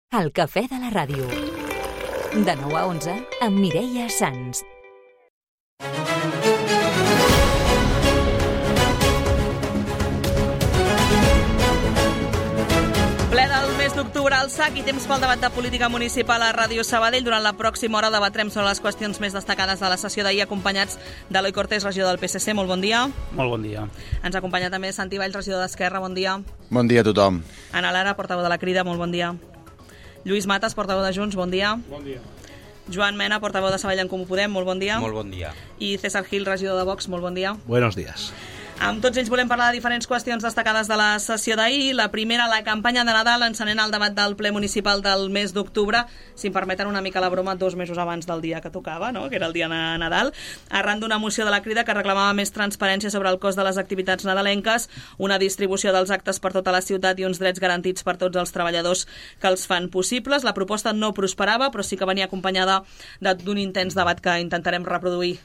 El cafè de la ràdio. De 9 a 11 amb Mireia Sans. Ple del mes d'octubre al SAC i temps pel debat de política municipal a Ràdio Sabadell. Durant la pròxima hora debatrem sobre les qüestions més destacades de la sessió d'ahir, acompanyats d'Eloi Cortés, regidor del PSC. Molt bon dia. Molt bon dia. Ens acompanya també Santi Valls, regidor d'Esquerra. Bon dia. Bon dia a tothom. Ana Lara, portaveu de la Crida. Molt bon dia. Lluís Matas, portaveu de Junts. Bon dia. Bon dia. Joan Mena, portaveu de Sabadell en Comú Podem. Molt bon dia. Molt bon dia. I César Gil, regidor de Vox. Molt bon dia. Buenos días. Amb tots ells volem parlar de diferents qüestions destacades de la sessió d'ahir. La primera, la campanya de Nadal, encenent el debat del ple municipal del mes d'octubre, si em permeten una mica la broma, 2 mesos abans del dia que tocava, no? Que era el dia de Nadal, arran d'una moció de la Crida que reclamava més transparència sobre el cost de les activitats nadalenques, una distribució dels actes per tota la ciutat i uns drets garantits per tots els treballadors que els fan possibles. La proposta no prosperava, però sí que venia acompanyada d'un intens debat que intentarem reproduir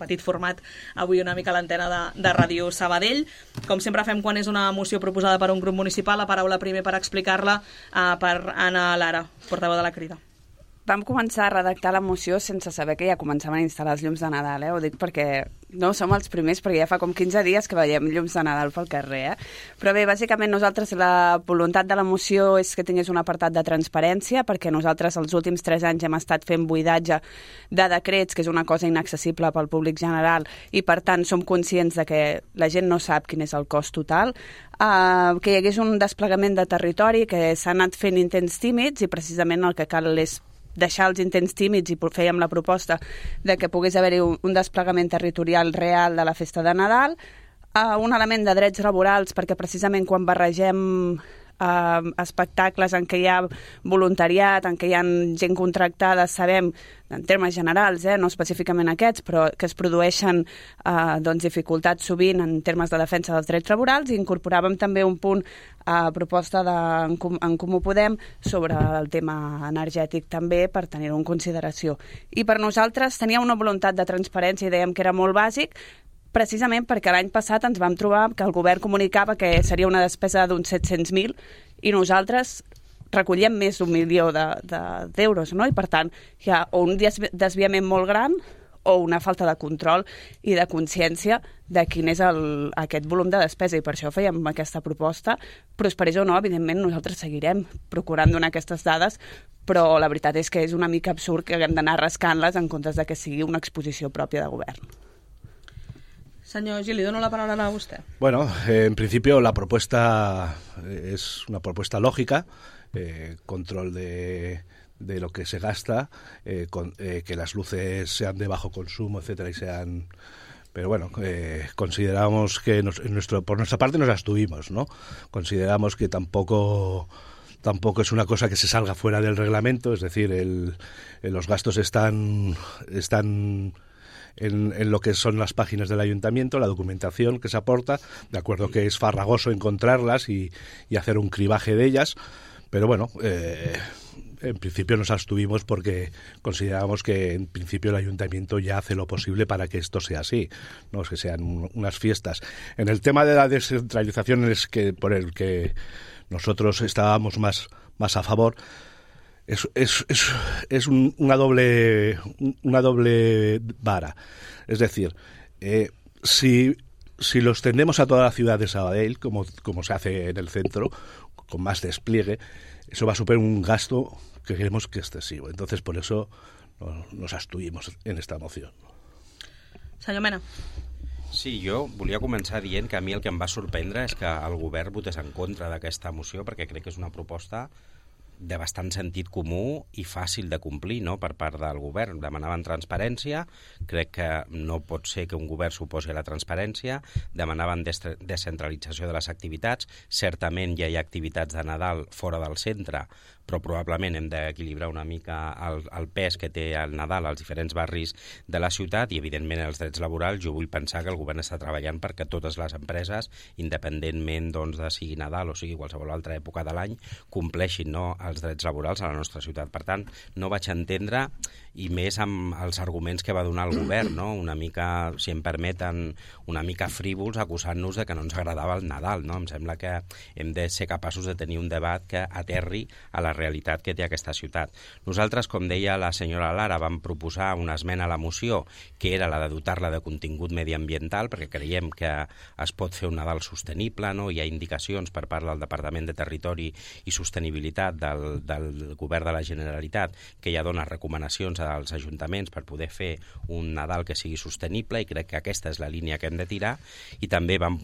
petit format avui una mica a l'antena de Ràdio Sabadell. Com sempre fem quan és una moció proposada per un grup municipal, la paraula primer per explicar-la per Ana Lara, portaveu de la Crida. Vam començar a redactar la moció sense saber que ja començaven a instal·lar els llums de Nadal, Ho dic perquè no som els primers, perquè ja fa com 15 dies que veiem llums de Nadal pel carrer, Però bé, bàsicament nosaltres la voluntat de la moció és que tingués un apartat de transparència, perquè nosaltres els últims 3 anys hem estat fent buidatge de decrets, que és una cosa inaccessible pel públic general, i per tant som conscients de que la gent no sap quin és el cost total, que hi hagués un desplegament de territori, que s'ha anat fent intents tímids, i precisament el que cal és deixar els intents tímids, i fèiem la proposta de que pogués haver-hi un desplegament territorial real de la festa de Nadal, un element de drets laborals, perquè precisament quan barregem espectacles en què hi ha voluntariat, en què hi ha gent contractada, sabem, en termes generals, no específicament aquests, però que es produeixen dificultats sovint en termes de defensa dels drets laborals, i incorporàvem també un punt a proposta en Comú Podem sobre el tema energètic també, per tenir-ho en consideració. I per nosaltres tenia una voluntat de transparència i dèiem que era molt bàsic, precisament perquè l'any passat ens vam trobar que el govern comunicava que seria una despesa d'uns 700.000 i nosaltres recollíem més d'1 milió d'euros, I per tant hi ha o un desviament molt gran o una falta de control i de consciència de quin és aquest volum de despesa, i per això fèiem aquesta proposta. Prosperés o no, evidentment nosaltres seguirem procurant donar aquestes dades, però la veritat és que és una mica absurd que haguem d'anar rascant-les en comptes de que sigui una exposició pròpia de govern. Señor Gil, le doy la palabra a usted. Bueno, en principio la propuesta es una propuesta lógica, control de lo que se gasta, que las luces sean de bajo consumo, etcétera, y sean... Pero bueno, consideramos que por nuestra parte nos abstuvimos, ¿no? Consideramos que tampoco es una cosa que se salga fuera del reglamento, es decir, los gastos están en lo que son las páginas del ayuntamiento, la documentación que se aporta, de acuerdo que es farragoso encontrarlas y hacer un cribaje de ellas, pero bueno, en principio nos abstuvimos porque consideramos que en principio el ayuntamiento ya hace lo posible para que esto sea así, no es que sean unas fiestas. En el tema de la descentralización por el que nosotros estábamos más a favor, es una doble vara. Es decir, si lo extendemos a toda la ciudad de Sabadell, como se hace en el centro, con más despliegue, eso va a suponer un gasto que creemos que es excesivo. Entonces, por eso nos abstuvimos en esta moción. Senyor Mena. Sí, jo volia començar dient que a mi el que em va sorprendre és que el govern votés en contra d'aquesta moció, perquè crec que és una proposta de bastant sentit comú i fàcil de complir, no?, per part del govern. Demanaven transparència, crec que no pot ser que un govern s'oposi a la transparència, demanaven descentralització de les activitats, certament ja hi ha activitats de Nadal fora del centre, però probablement hem d'equilibrar una mica el pes que té el Nadal als diferents barris de la ciutat, i evidentment els drets laborals. Jo vull pensar que el govern està treballant perquè totes les empreses, independentment de sigui Nadal o sigui qualsevol altra època de l'any, compleixin, no?, els drets laborals a la nostra ciutat. Per tant, no vaig entendre, i més amb els arguments que va donar el govern, no? Una mica, si em permeten, una mica frívols, acusant-nos de que no ens agradava el Nadal, no? Em sembla que hem de ser capaços de tenir un debat que aterri a la realitat que té aquesta ciutat. Nosaltres, com deia la senyora Lara, vam proposar una esmena a la moció, que era la de dotar-la de contingut mediambiental, perquè creiem que es pot fer un Nadal sostenible, no? Hi ha indicacions per part del Departament de Territori i Sostenibilitat del Govern de la Generalitat que ja dona recomanacions als ajuntaments per poder fer un Nadal que sigui sostenible, i crec que aquesta és la línia que hem de tirar. I també vam,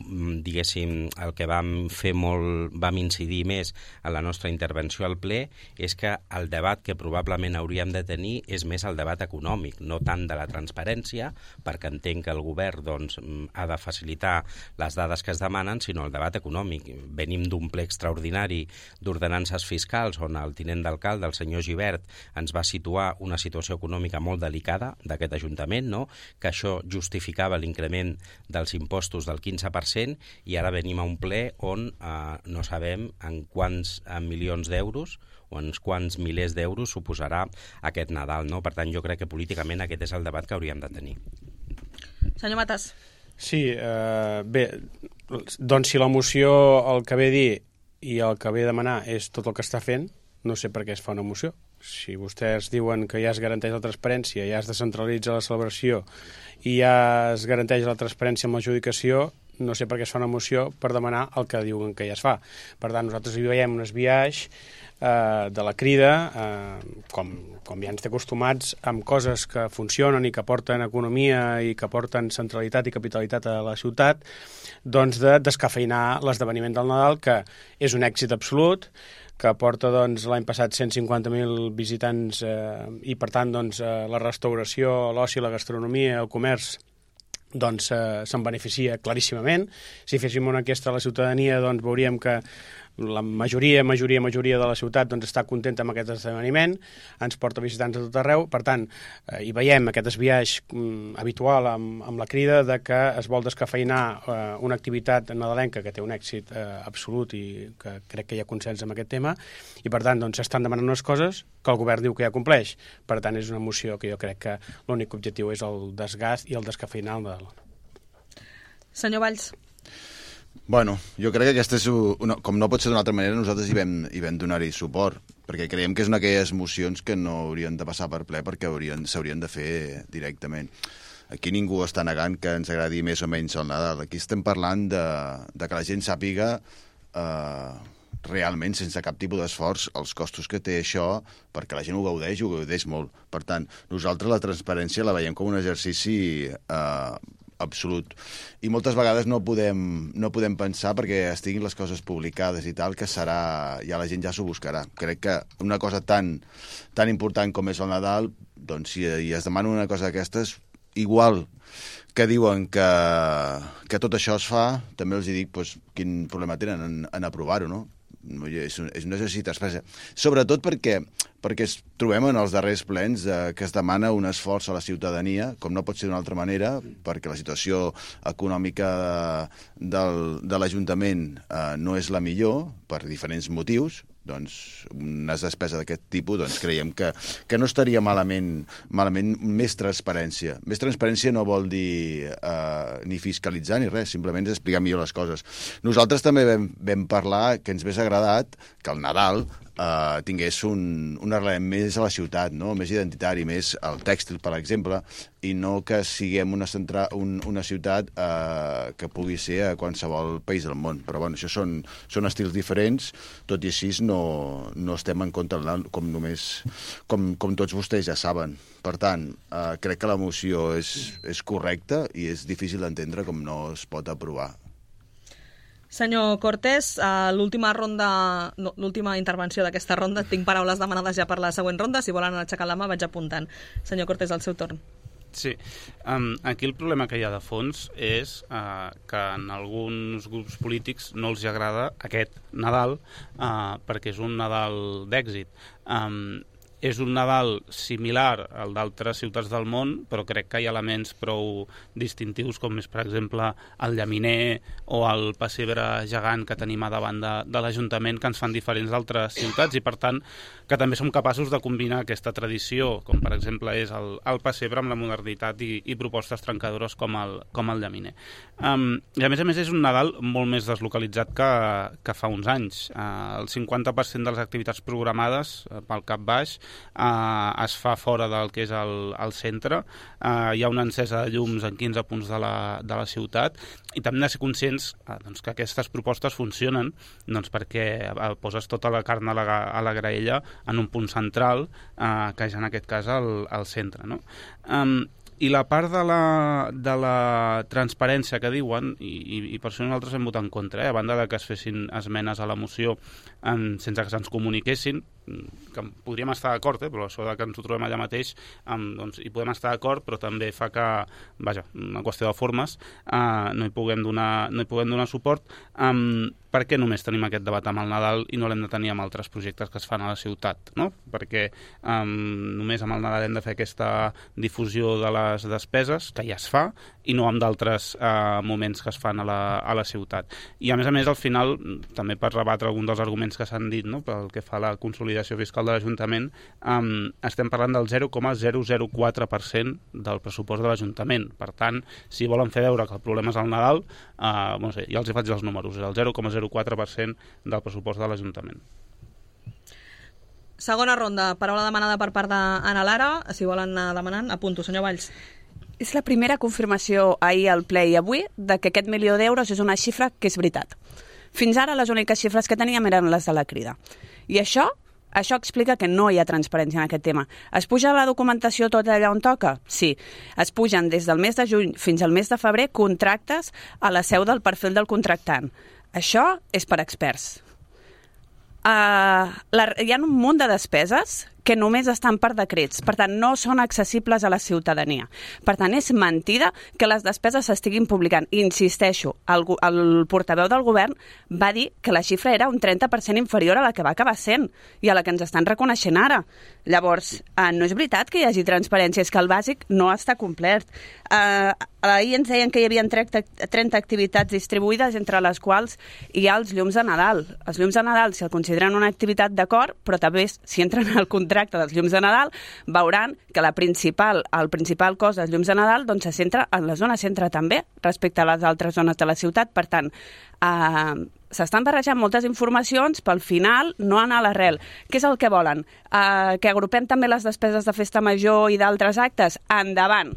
diguéssim, el que vam fer vam incidir més en la nostra intervenció al ple és que el debat que probablement hauríem de tenir és més el debat econòmic, no tant de la transparència, perquè entenc que el govern doncs, ha de facilitar les dades que es demanen, sinó el debat econòmic. Venim d'un ple extraordinari d'ordenances fiscals on el tinent d'alcalde, el senyor Gibert, ens va situar una situació econòmica molt delicada d'aquest Ajuntament, no? Que això justificava l'increment dels impostos del 15%, i ara venim a un ple on no sabem en quants milions d'euros o en quants milers d'euros suposarà aquest Nadal, no? Per tant, jo crec que políticament aquest és el debat que hauríem de tenir. Senyor Matas. Sí, bé, doncs si la moció el que ve a dir i el que ve a demanar és tot el que està fent, no sé per què es fa una moció. Si vostès diuen que ja es garanteix la transparència, ja es descentralitza la celebració i ja es garanteix la transparència amb l'adjudicació, no sé per què es fa una moció per demanar el que diuen que ja es fa. Per tant, nosaltres hi veiem un esbiaix de la Crida, com ja ens té acostumats, amb coses que funcionen i que porten economia i que porten centralitat i capitalitat a la ciutat, doncs de descafeinar l'esdeveniment del Nadal, que és un èxit absolut, que porta doncs, l'any passat 150.000 visitants i, per tant, doncs, la restauració, l'oci, la gastronomia, el comerç, doncs se'n beneficia claríssimament. Si féssim una enquesta a la ciutadania, doncs veuríem que la majoria de la ciutat doncs, està contenta amb aquest esdeveniment, ens porta visitants a tot arreu, per tant, hi veiem aquest esbiaix habitual amb la Crida de que es vol descafeinar una activitat nadalenca que té un èxit absolut i que crec que hi ha consens amb aquest tema, i per tant doncs, s'estan demanant unes coses que el govern diu que ja compleix. Per tant, és una moció que jo crec que l'únic objectiu és el desgast i el descafeinar el Nadal. Senyor Valls. Bueno, jo crec que aquesta és com no pot ser d'una altra manera, nosaltres hi vam donar-hi suport, perquè creiem que és una d'aquelles mocions que no haurien de passar per ple perquè s'haurien de fer directament. Aquí ningú està negant que ens agradi més o menys el Nadal. Aquí estem parlant de que la gent sàpiga realment, sense cap tipus d'esforç, els costos que té això, perquè la gent ho gaudeix molt. Per tant, nosaltres la transparència la veiem com un exercici absolut. I moltes vegades no podem pensar, perquè estiguin les coses publicades i tal, que serà, ja la gent ja s'ho buscarà. Crec que una cosa tan important com és el Nadal, doncs si es demana una cosa d'aquestes, igual que diuen que tot això es fa, també els dic doncs, quin problema tenen en aprovar-ho, no? És un exercici d'expressa. Sobretot perquè trobem en els darrers plens que es demana un esforç a la ciutadania, com no pot ser d'una altra manera, perquè la situació econòmica de l'Ajuntament no és la millor, per diferents motius. Doncs una despesa d'aquest tipus doncs creiem que no estaria malament més transparència. Més transparència no vol dir ni fiscalitzar ni res, simplement és explicar millor les coses. Nosaltres també vam parlar que ens hagués agradat que el Nadal tingués un arrelament més a la ciutat, no? Més identitari, més al tèxtil, per exemple, i no que siguem una ciutat que pugui ser a qualsevol país del món. Però bueno, això són estils diferents, tot i així no estem en contra del Nadal, com tots vostès ja saben. Per tant, crec que la moció és correcta i és difícil d'entendre com no es pot aprovar. Senyor Cortés, l'última intervenció d'aquesta ronda, tinc paraules demanades ja per la següent ronda, si volen aixecar la mà vaig apuntant. Senyor Cortés, al seu torn. Sí, aquí el problema que hi ha de fons és que en alguns grups polítics no els agrada aquest Nadal perquè és un Nadal d'èxit. és un Nadal similar al d'altres ciutats del món, però crec que hi ha elements prou distintius, com és, per exemple, el llaminer o el pessebre gegant que tenim a davant de l'Ajuntament, que ens fan diferents d'altres ciutats, i per tant que també som capaços de combinar aquesta tradició, com per exemple és el pessebre, amb la modernitat i propostes trencadores com el llaminer. I a més és un Nadal molt més deslocalitzat que fa uns anys. El 50% de les activitats programades pel cap baix es fa fora del que és el centre. Hi ha una encesa de llums en 15 punts de la ciutat, i també hem de ser conscients que aquestes propostes funcionen perquè poses tota la carn a la graella en un punt central, que és en aquest cas el centre, no? I la part de la transparència que diuen, i per això nosaltres hem votat en contra, a banda de que es fessin esmenes a la moció sense que se'ns comuniquessin, que podríem estar d'acord, però això que ens ho trobem allà mateix, doncs hi podem estar d'acord, però també fa que, una qüestió de formes, no hi puguem donar suport. Per què només tenim aquest debat amb el Nadal i no l'hem de tenir amb altres projectes que es fan a la ciutat, no? Perquè només amb el Nadal hem de fer aquesta difusió de les despeses, que ja es fa, i no amb d'altres moments que es fan a la ciutat. I a més, al final, també per rebatre algun dels arguments que s'han dit, no? Pel que fa a la consolidació fiscal de l'Ajuntament, estem parlant del 0,004% del pressupost de l'Ajuntament. Per tant, si volen fer veure que el problema és el Nadal, ja els hi faig els números, és el 0,04% del pressupost de l'Ajuntament. Segona ronda, paraula demanada per part d'Anna Lara. Si volen anar demanant, apunto, senyor Valls. És la primera confirmació ahir al ple i avui de que aquest 1 milió d'euros és una xifra que és veritat. Fins ara les úniques xifres que teníem eren les de la Crida. I això explica que no hi ha transparència en aquest tema. Es puja la documentació tot allà on toca? Sí. Es pugen des del mes de juny fins al mes de febrer contractes a la seu del perfil del contractant. Això és per experts. Hi ha un munt de despeses que només estan per decrets, per tant no són accessibles a la ciutadania. Per tant, és mentida que les despeses s'estiguin publicant. Insisteixo, el portaveu del govern va dir que la xifra era un 30% inferior a la que va acabar sent i a la que ens estan reconeixent ara. Llavors, no és veritat que hi hagi transparència, és que el bàsic no està complert. Ahir ens deien que hi havia 30 activitats distribuïdes, entre les quals hi ha els llums de Nadal. Els llums de Nadal se'l consideren una activitat d'acord, però també si entren al contracte dels llums de Nadal, veuran que el principal cost dels llums de Nadal doncs, se centra en la zona centre també, respecte a les altres zones de la ciutat. Per tant, s'estan barrejant moltes informacions, però al final no anar a l'arrel. Què és el que volen? Que agrupem també les despeses de festa major i d'altres actes? Endavant!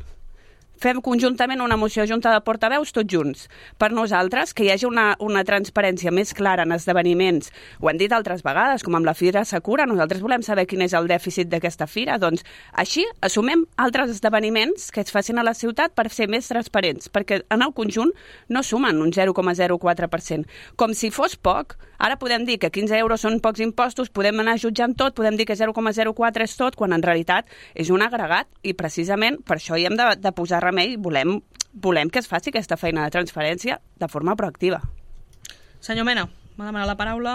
Fem conjuntament una moció junta de portaveus tots junts. Per nosaltres, que hi hagi una transparència més clara en esdeveniments, ho han dit altres vegades, com amb la Fira Sakura, nosaltres volem saber quin és el dèficit d'aquesta fira, doncs així assumem altres esdeveniments que es facin a la ciutat per ser més transparents, perquè en el conjunt no sumen un 0,04%. Com si fos poc, ara podem dir que 15 euros són pocs impostos, podem anar jutjant tot, podem dir que 0,04 és tot, quan en realitat és un agregat, i precisament per això hi hem de posar remei, volem que es faci aquesta feina de transparència de forma proactiva. Senyor Mena, m'ha demanat la paraula.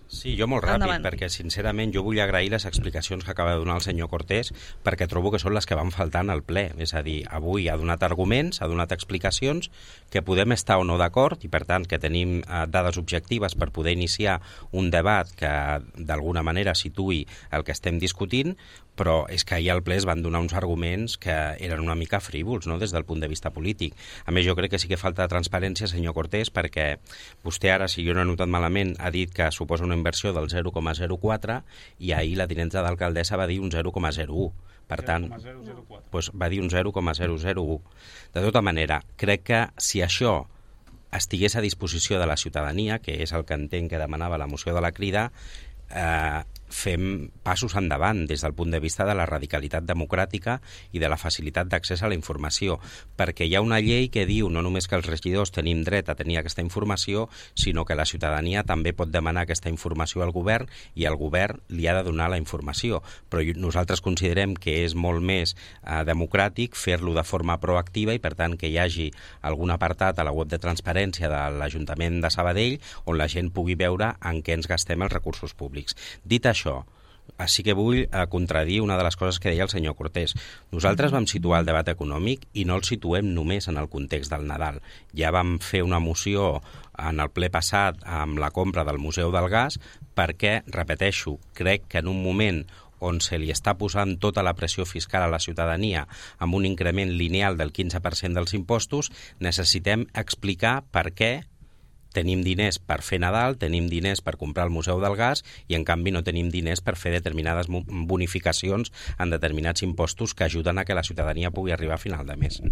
Sí, jo molt ràpid, endavant. Perquè sincerament jo vull agrair les explicacions que acaba de donar el senyor Cortés, perquè trobo que són les que van faltant al ple. És a dir, avui ha donat arguments, ha donat explicacions, que podem estar o no d'acord, i per tant que tenim dades objectives per poder iniciar un debat que d'alguna manera situï el que estem discutint, però és que ahir al ple es van donar uns arguments que eren una mica frívols, no?, des del punt de vista polític. A més, jo crec que sí que falta transparència, senyor Cortés, perquè vostè ara, si jo no he notat malament, ha dit que suposa una inversió del 0,04 i ahir la tinenta d'alcaldessa va dir un 0,01. Per tant, doncs va dir un 0,001. De tota manera, crec que si això estigués a disposició de la ciutadania, que és el que entenc que demanava la moció de la Crida, fem passos endavant des del punt de vista de la radicalitat democràtica i de la facilitat d'accés a la informació, perquè hi ha una llei que diu no només que els regidors tenim dret a tenir aquesta informació, sinó que la ciutadania també pot demanar aquesta informació al govern i el govern li ha de donar la informació. Però nosaltres considerem que és molt més democràtic fer-lo de forma proactiva i, per tant, que hi hagi algun apartat a la web de transparència de l'Ajuntament de Sabadell on la gent pugui veure en què ens gastem els recursos públics. Dit això, sí que vull contradir una de les coses que deia el senyor Cortés. Nosaltres vam situar el debat econòmic i no el situem només en el context del Nadal. Ja vam fer una moció en el ple passat amb la compra del Museu del Gas perquè, repeteixo, crec que en un moment on se li està posant tota la pressió fiscal a la ciutadania amb un increment lineal del 15% dels impostos, necessitem explicar per què tenim diners per fer Nadal, tenim diners per comprar el Museu del Gas i, en canvi, no tenim diners per fer determinades bonificacions en determinats impostos que ajuden a que la ciutadania pugui arribar a final de mes.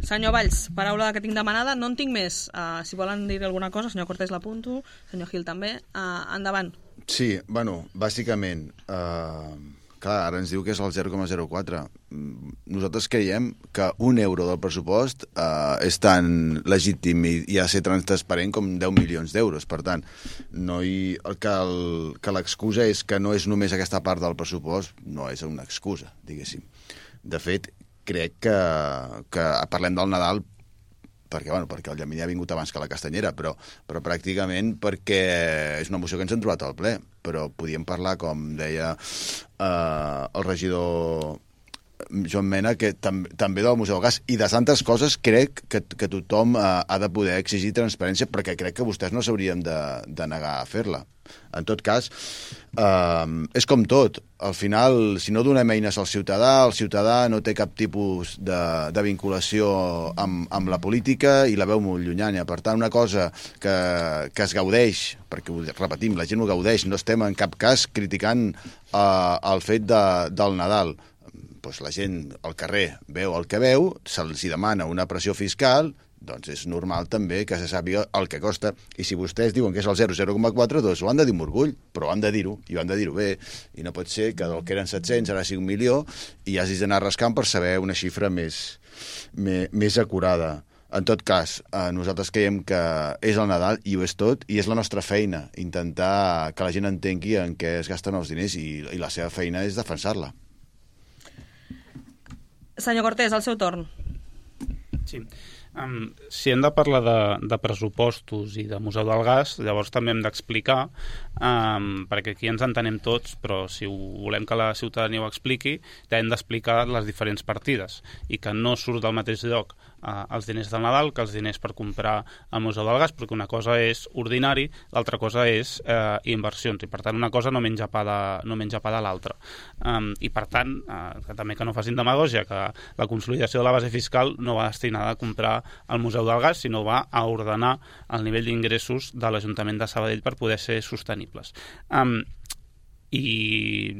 Senyor Valls, paraula que tinc demanada, no en tinc més. Si volen dir alguna cosa, senyor Cortés l'apunto, senyor Gil també. Endavant. Sí, bueno, bàsicament, clar, ara ens diu que és el 0,04. Nosaltres creiem que €1 del pressupost és tan legítim i ha de ser transparent com 10 milions d'euros. Per tant, que l'excusa és que no és només aquesta part del pressupost, no és una excusa, diguéssim. De fet, crec que parlem del Nadal perquè el Llaminer ha vingut abans que la Castanyera, però pràcticament perquè és una moció que ens hem trobat al ple, però podíem parlar, com deia el regidor Joan Mena, que també del Museu del Gas i de tantes coses. Crec que tothom ha de poder exigir transparència, perquè crec que vostès no s'haurien de negar a fer-la. En tot cas, és com tot. Al final, si no donem eines al ciutadà, el ciutadà no té cap tipus de vinculació amb la política i la veu molt llunyana. Per tant, una cosa que es gaudeix, perquè ho repetim, la gent ho gaudeix, no estem en cap cas criticant el fet del Nadal. Doncs la gent al carrer veu el que veu, se'ls demana una pressió fiscal, doncs és normal també que se sàpiga el que costa. I si vostès diuen que és el 0,04, doncs ho han de dir amb orgull, però han de dir-ho, i ho han de dir-ho bé. I no pot ser que del que eren 700 ara sigui 1 milió i hagis d'anar rascant per saber una xifra més acurada. En tot cas, nosaltres creiem que és el Nadal i ho és tot, i és la nostra feina, intentar que la gent entengui en què es gasten els diners, i la seva feina és defensar-la. Senyor Cortés, el seu torn. Sí. Si hem de parlar de pressupostos i de Museu del Gas, llavors també hem d'explicar, perquè aquí ens entenem tots, però si volem que la ciutadania ho expliqui, hem d'explicar les diferents partides i que no surt del mateix lloc els diners del Nadal que els diners per comprar el Museu del Gas, perquè una cosa és ordinari, l'altra cosa és inversions, i per tant una cosa no menja pa de l'altra. I per tant, també que no facin demagògia, que la consolidació de la base fiscal no va destinada a comprar el Museu del Gas, sinó va a ordenar el nivell d'ingressos de l'Ajuntament de Sabadell per poder ser sostenibles. I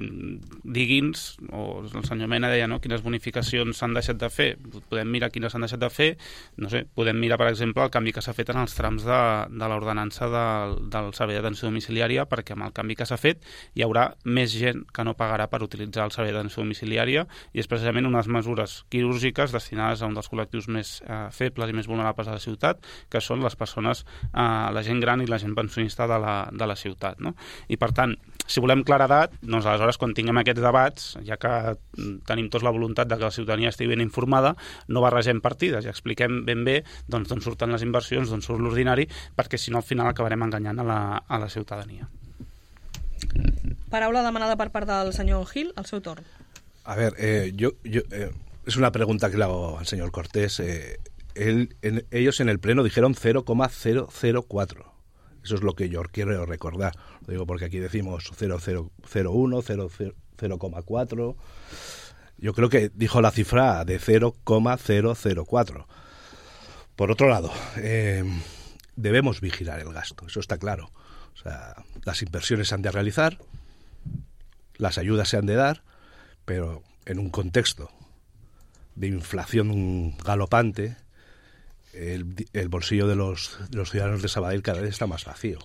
digui'ns, o el senyor Mena deia, no?, quines bonificacions s'han deixat de fer. Podem mirar quines s'han deixat de fer. No sé, podem mirar, per exemple, el canvi que s'ha fet en els trams de l'ordenança del servei d'atenció domiciliària, perquè amb el canvi que s'ha fet hi haurà més gent que no pagarà per utilitzar el servei d'atenció domiciliària, i és precisament unes mesures quirúrgiques destinades a un dels col·lectius més febles i més vulnerables de la ciutat, que són les persones, la gent gran i la gent pensionista de la ciutat, no? I per tant, si volem claredat, doncs aleshores quan tinguem aquests debats, ja que tenim tots la voluntat de que la ciutadania estigui ben informada, no barregem partides i expliquem ben bé d'on surten les inversions, d'on surt l'ordinari, perquè si no al final acabarem enganyant a la ciutadania. Paraula demanada per part del senyor Gil, al seu torn. A ver, es una pregunta que le hago al señor Cortés. Ellos en el pleno dijeron 0,004. Eso es lo que yo quiero recordar. Lo digo porque aquí decimos 0,001, 0,4. Yo creo que dijo la cifra de 0,004. Por otro lado, debemos vigilar el gasto, eso está claro. O sea, las inversiones se han de realizar, las ayudas se han de dar, pero en un contexto de inflación galopante, el bolsillo de los ciudadanos de Sabadell cada vez está más vacío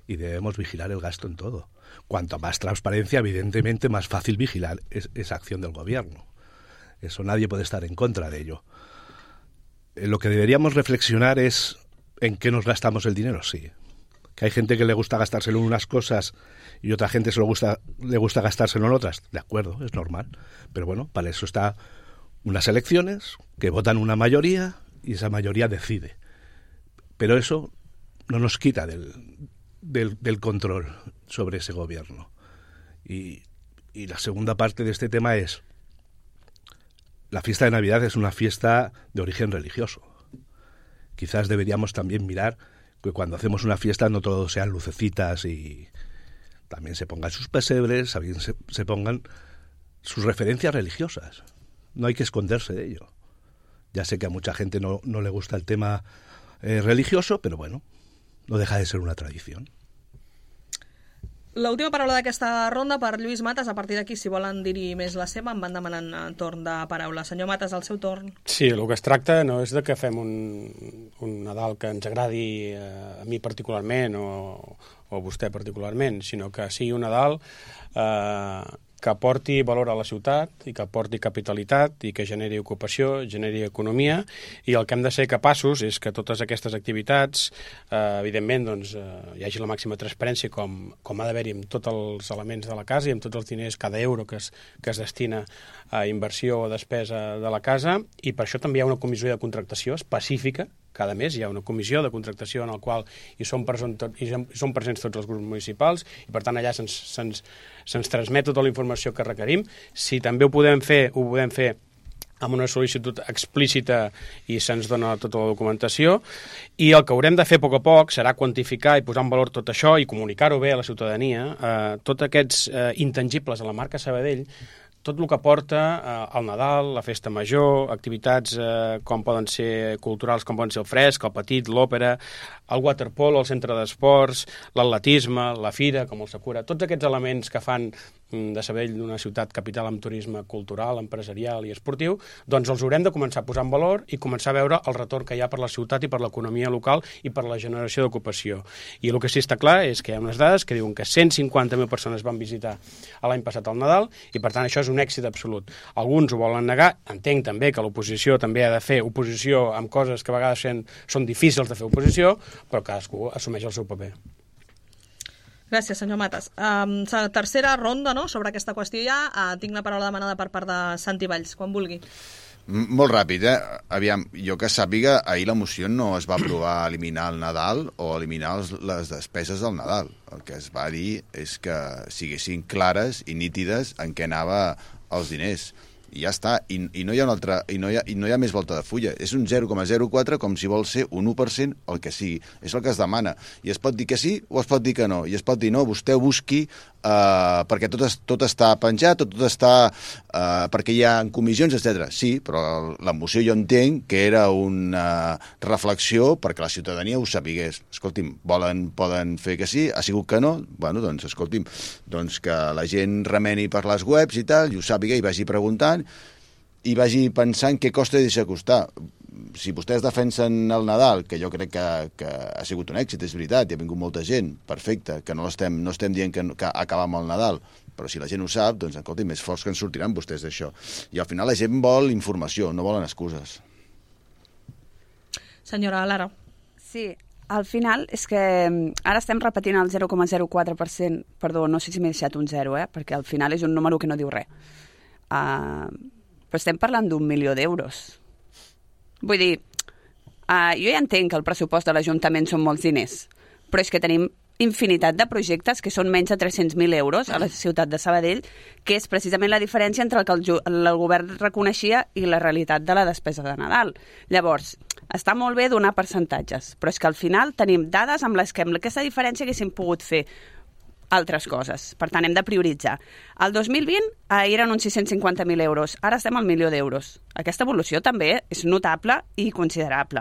y debemos vigilar el gasto en todo. Cuanto más transparencia, evidentemente, más fácil vigilar esa acción del gobierno. Eso nadie puede estar en contra de ello. Lo que deberíamos reflexionar es en qué nos gastamos el dinero, sí. Que hay gente que le gusta gastárselo en unas cosas y otra gente le gusta gastárselo en otras. De acuerdo, es normal. Pero bueno, para eso está unas elecciones que votan una mayoría y esa mayoría decide. Pero eso no nos quita del control sobre ese gobierno. Y la segunda parte de este tema es, la fiesta de Navidad es una fiesta de origen religioso. Quizás deberíamos también mirar que cuando hacemos una fiesta no todo sean lucecitas y también se pongan sus pesebres, también se pongan sus referencias religiosas. No hay que esconderse de ello. Ya sé que a mucha gente no le gusta el tema religioso, però bueno, no deja de ser una tradición. L'última paraula d'aquesta ronda per Lluís Matas. A partir d'aquí, si volen dir-hi més la seva, em van demanant torn de paraula. Senyor Matas, al seu torn. Sí, el que es tracta no és de que fem un Nadal que ens agradi a mi particularment o a vostè particularment, sinó que sigui un Nadal que aporti valor a la ciutat i que aporti capitalitat i que generi ocupació, generi economia, i el que hem de ser capaços és que totes aquestes activitats, evidentment, doncs, hi hagi la màxima transparència com ha d'haver-hi amb tots els elements de la casa i amb tots els diners, cada euro que es destina a inversió o despesa de la casa, i per això també hi ha una comissió de contractació específica. Cada mes hi ha una comissió de contractació en la qual hi són presents tots els grups municipals i, per tant, allà se'ns transmet tota la informació que requerim. Si també ho podem fer amb una sol·licitud explícita i se'ns dona tota la documentació. I el que haurem de fer a poc serà quantificar i posar en valor tot això i comunicar-ho bé a la ciutadania, tots aquests intangibles a la marca Sabadell, tot el que porta al Nadal, la festa major, activitats com poden ser culturals, com poden ser el fresc, el petit, l'òpera, el waterpolo, el centre d'esports, l'atletisme, la fira, com el Sakura, tots aquests elements que fan de Sabadell una ciutat capital amb turisme cultural, empresarial i esportiu, doncs els haurem de començar a posar en valor i començar a veure el retorn que hi ha per la ciutat i per l'economia local i per la generació d'ocupació. I el que sí està clar és que hi ha unes dades que diuen que 150.000 persones van visitar l'any passat al Nadal i, per tant, això és un èxit absolut. Alguns ho volen negar. Entenc també que l'oposició també ha de fer oposició amb coses que a vegades són difícils de fer oposició, però cadascú assumeix el seu paper. Gràcies, senyor Matas. Tercera ronda, no?, sobre aquesta qüestió ja. Tinc la paraula demanada per part de Santi Valls, quan vulgui. Molt ràpid, Aviam, jo que sàpiga, ahir la moció no es va aprovar eliminar el Nadal o eliminar les despeses del Nadal. El que es va dir és que siguessin clares i nítides en què anava els diners. I ja està, i no hi ha una altra, i no hi ha més volta de fulla. És un 0,04 com si vol ser un 1% el que sigui. És el que es demana. I es pot dir que sí o es pot dir que no. I es pot dir no, vostè busqui perquè tot està penjat, tot està perquè hi ha comissions, etc. Sí, però la moció jo entenc que era una reflexió perquè la ciutadania ho sapigués. Escolti'm, poden fer que sí, ha sigut que no, bueno, doncs escolti'm, doncs que la gent remeni per les webs i tal, i ho sàpiga i vagi preguntant i vagi pensant què costa i deixa costar. Si vostès defensen el Nadal, que jo crec que ha sigut un èxit, és veritat, hi ha vingut molta gent, perfecte, que no estem dient que acabar amb el Nadal, però si la gent ho sap, doncs, escolti, més forts que en sortiran vostès d'això. I al final la gent vol informació, no volen excuses. Senyora Lara. Sí, al final és que ara estem repetint el 0,04%, perdó, no sé si m'he deixat un 0, perquè al final és un número que no diu res. Però estem parlant d'1 milió d'euros. Vull dir, jo ja entenc que el pressupost de l'Ajuntament són molts diners, però és que tenim infinitat de projectes que són menys de 300.000 euros a la ciutat de Sabadell, que és precisament la diferència entre el que el govern reconeixia i la realitat de la despesa de Nadal. Llavors, està molt bé donar percentatges, però és que al final tenim dades amb les que amb aquesta diferència haguéssim pogut fer altres coses. Per tant, hem de prioritzar. El 2020 eren uns 650.000 euros. Ara estem al 1 milió d'euros. Aquesta evolució també és notable i considerable.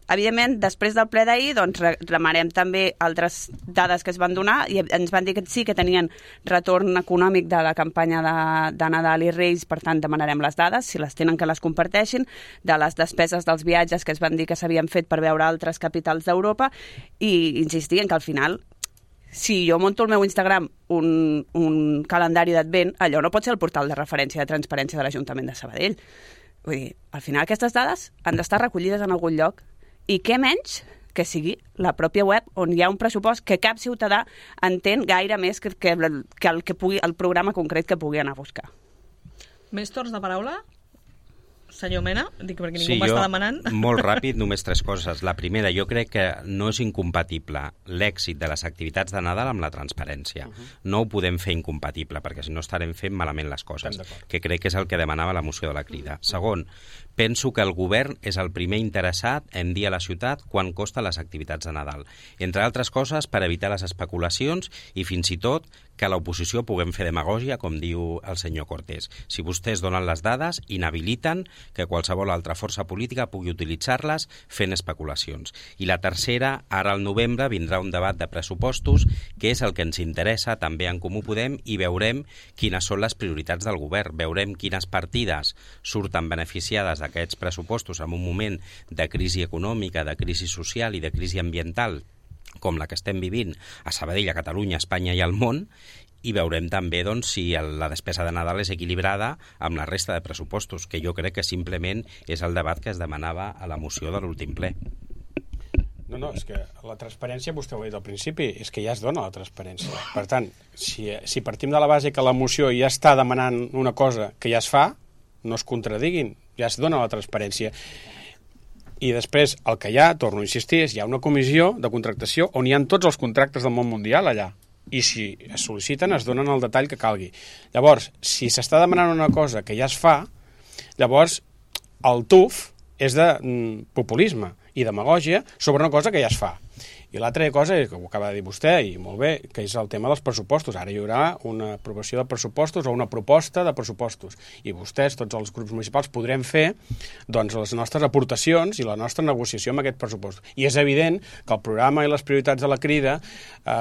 Evidentment, després del ple d'ahir, doncs, reclamarem també altres dades que es van donar i ens van dir que sí que tenien retorn econòmic de la campanya de Nadal i Reis, per tant, demanarem les dades, si les tenen que les comparteixin, de les despeses dels viatges que es van dir que s'havien fet per veure altres capitals d'Europa i insistir en que al final si jo monto al meu Instagram un calendari d'advent, allò no pot ser el portal de referència de transparència de l'Ajuntament de Sabadell. Vull dir, al final aquestes dades han d'estar recollides en algun lloc i què menys que sigui la pròpia web on hi ha un pressupost que cap ciutadà entén gaire més que el programa concret que pugui anar a buscar. Més torns de paraula? Senyor Mena, dic perquè ningú m'està demanant. Molt ràpid, només 3 coses. La primera, jo crec que no és incompatible l'èxit de les activitats de Nadal amb la transparència. No ho podem fer incompatible, perquè si no estarem fent malament les coses, que crec que és el que demanava la moció de la Crida. Segon, penso que el govern és el primer interessat en dir a la ciutat quan costa les activitats de Nadal. Entre altres coses, per evitar les especulacions i fins i tot que l'oposició puguem fer demagògia, com diu el senyor Cortés. Si vostès donen les dades, inhabiliten que qualsevol altra força política pugui utilitzar-les fent especulacions. I la tercera, ara al novembre vindrà un debat de pressupostos, que és el que ens interessa també en Comú Podem, i veurem quines són les prioritats del govern, veurem quines partides surten beneficiades d'aquests pressupostos en un moment de crisi econòmica, de crisi social i de crisi ambiental, com la que estem vivint a Sabadell, a Catalunya, a Espanya i al món, i veurem també doncs, si la despesa de Nadal és equilibrada amb la resta de pressupostos, que jo crec que simplement és el debat que es demanava a la moció de l'últim ple. No, és que la transparència, vostè ho ha dit al principi, és que ja es dona la transparència. Per tant, si partim de la base que la moció ja està demanant una cosa que ja es fa, no es contradiguin, ja es dona la transparència. I després, el que hi ha, torno a insistir, és hi ha una comissió de contractació on hi ha tots els contractes del món mundial allà. I si es sol·liciten, es donen el detall que calgui. Llavors, si s'està demanant una cosa que ja es fa, llavors el tuf és de populisme i demagògia sobre una cosa que ja es fa. I l'altra cosa, que ho acaba de dir vostè, i molt bé, que és el tema dels pressupostos. Ara hi haurà una aprovació de pressupostos o una proposta de pressupostos. I vostès, tots els grups municipals, podrem fer doncs, les nostres aportacions i la nostra negociació amb aquest pressupost. I és evident que el programa i les prioritats de la Crida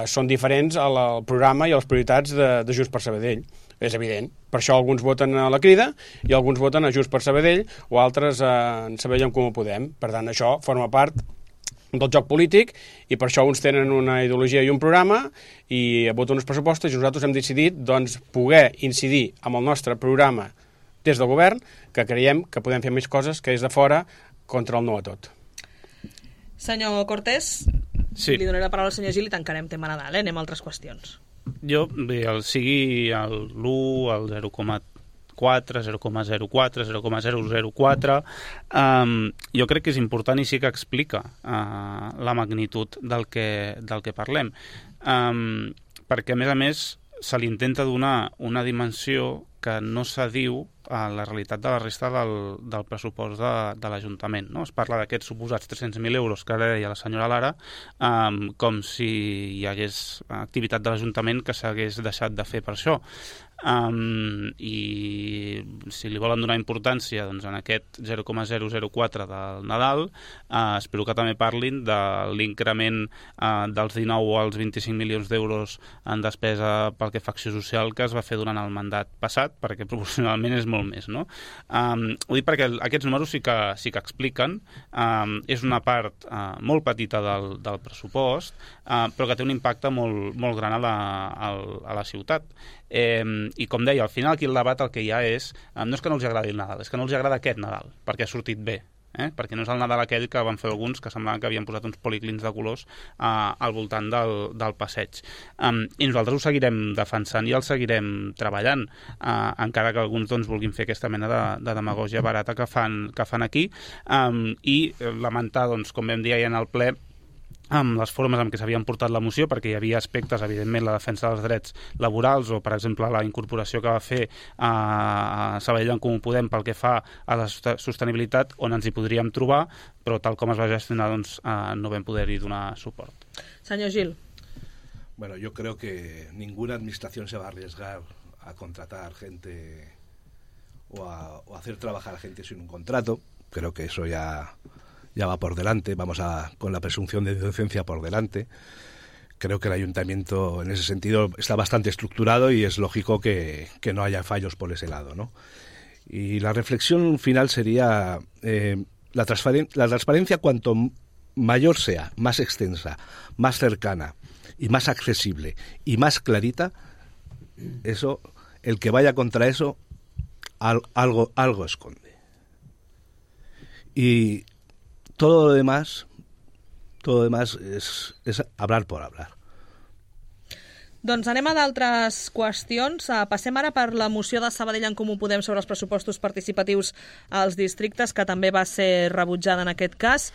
són diferents al programa i a les prioritats de Junts per Sabadell. És evident. Per això alguns voten a la Crida i alguns voten a Junts per Sabadell o altres en Sabadell en Comú Podem. Per tant, això forma part del joc polític i per això uns tenen una ideologia i un programa i voten uns pressupostos i nosaltres hem decidit doncs, poder incidir amb el nostre programa des del govern, que creiem que podem fer més coses que des de fora contra el no a tot. Senyor Cortés, sí. Li donaré la paraula al senyor Gil i tancarem tema Nadal, anem a altres qüestions. Jo, bé, sigui l'1, el 0,4, 0,04, 0,004, jo crec que és important i sí que explica la magnitud del que parlem. Perquè, a més, se li intenta donar una dimensió que no s'adiu a la realitat de la resta del pressupost de l'Ajuntament. No? Es parla d'aquests suposats 300.000 euros que ara deia la senyora Lara, com si hi hagués activitat de l'Ajuntament que s'hagués deixat de fer per això. I si li volen donar importància doncs, en aquest 0,004 del Nadal, espero que també parlin de l'increment dels 19 als 25 milions d'euros en despesa pel que fa a acció social que es va fer durant el mandat passat, perquè proporcionalment és molt més, no? Ho dic perquè aquests números sí que expliquen, és una part molt petita del pressupost, però que té un impacte molt gran a la ciutat. I com deia, al final aquí el debat el que hi ha és, no és que no els agradi el Nadal, és que no els agrada aquest Nadal, perquè ha sortit bé. Perquè no és el Nadal aquell que van fer alguns que semblaven que havien posat uns policlins de colors al voltant del passeig. I nosaltres ho seguirem defensant i el seguirem treballant, encara que alguns doncs, vulguin fer aquesta mena de demagògia barata que fan aquí, i lamentar, doncs, com vam dir ahir en el ple, amb les formes en què s'havien portat la moció, perquè hi havia aspectes, evidentment, la defensa dels drets laborals o, per exemple, la incorporació que va fer a Sabadell en Comú Podem pel que fa a la sostenibilitat, on ens hi podríem trobar, però tal com es va gestionar doncs, no vam poder-hi donar suport. Senyor Gil. Bueno, yo creo que ninguna administración se va a arriesgar a contratar gente o a hacer trabajar a gente sin un contrato. Creo que eso ya va por delante, con la presunción de inocencia por delante. Creo que el ayuntamiento en ese sentido está bastante estructurado y es lógico que no haya fallos por ese lado, ¿no? Y la reflexión final sería la transparencia cuanto mayor sea, más extensa, más cercana y más accesible y más clarita, eso, el que vaya contra eso algo esconde. Y todo lo demás es hablar por hablar. Doncs anem a d'altres qüestions. Passem ara per la moció de Sabadell en Comú Podem sobre els pressupostos participatius als districtes, que també va ser rebutjada en aquest cas.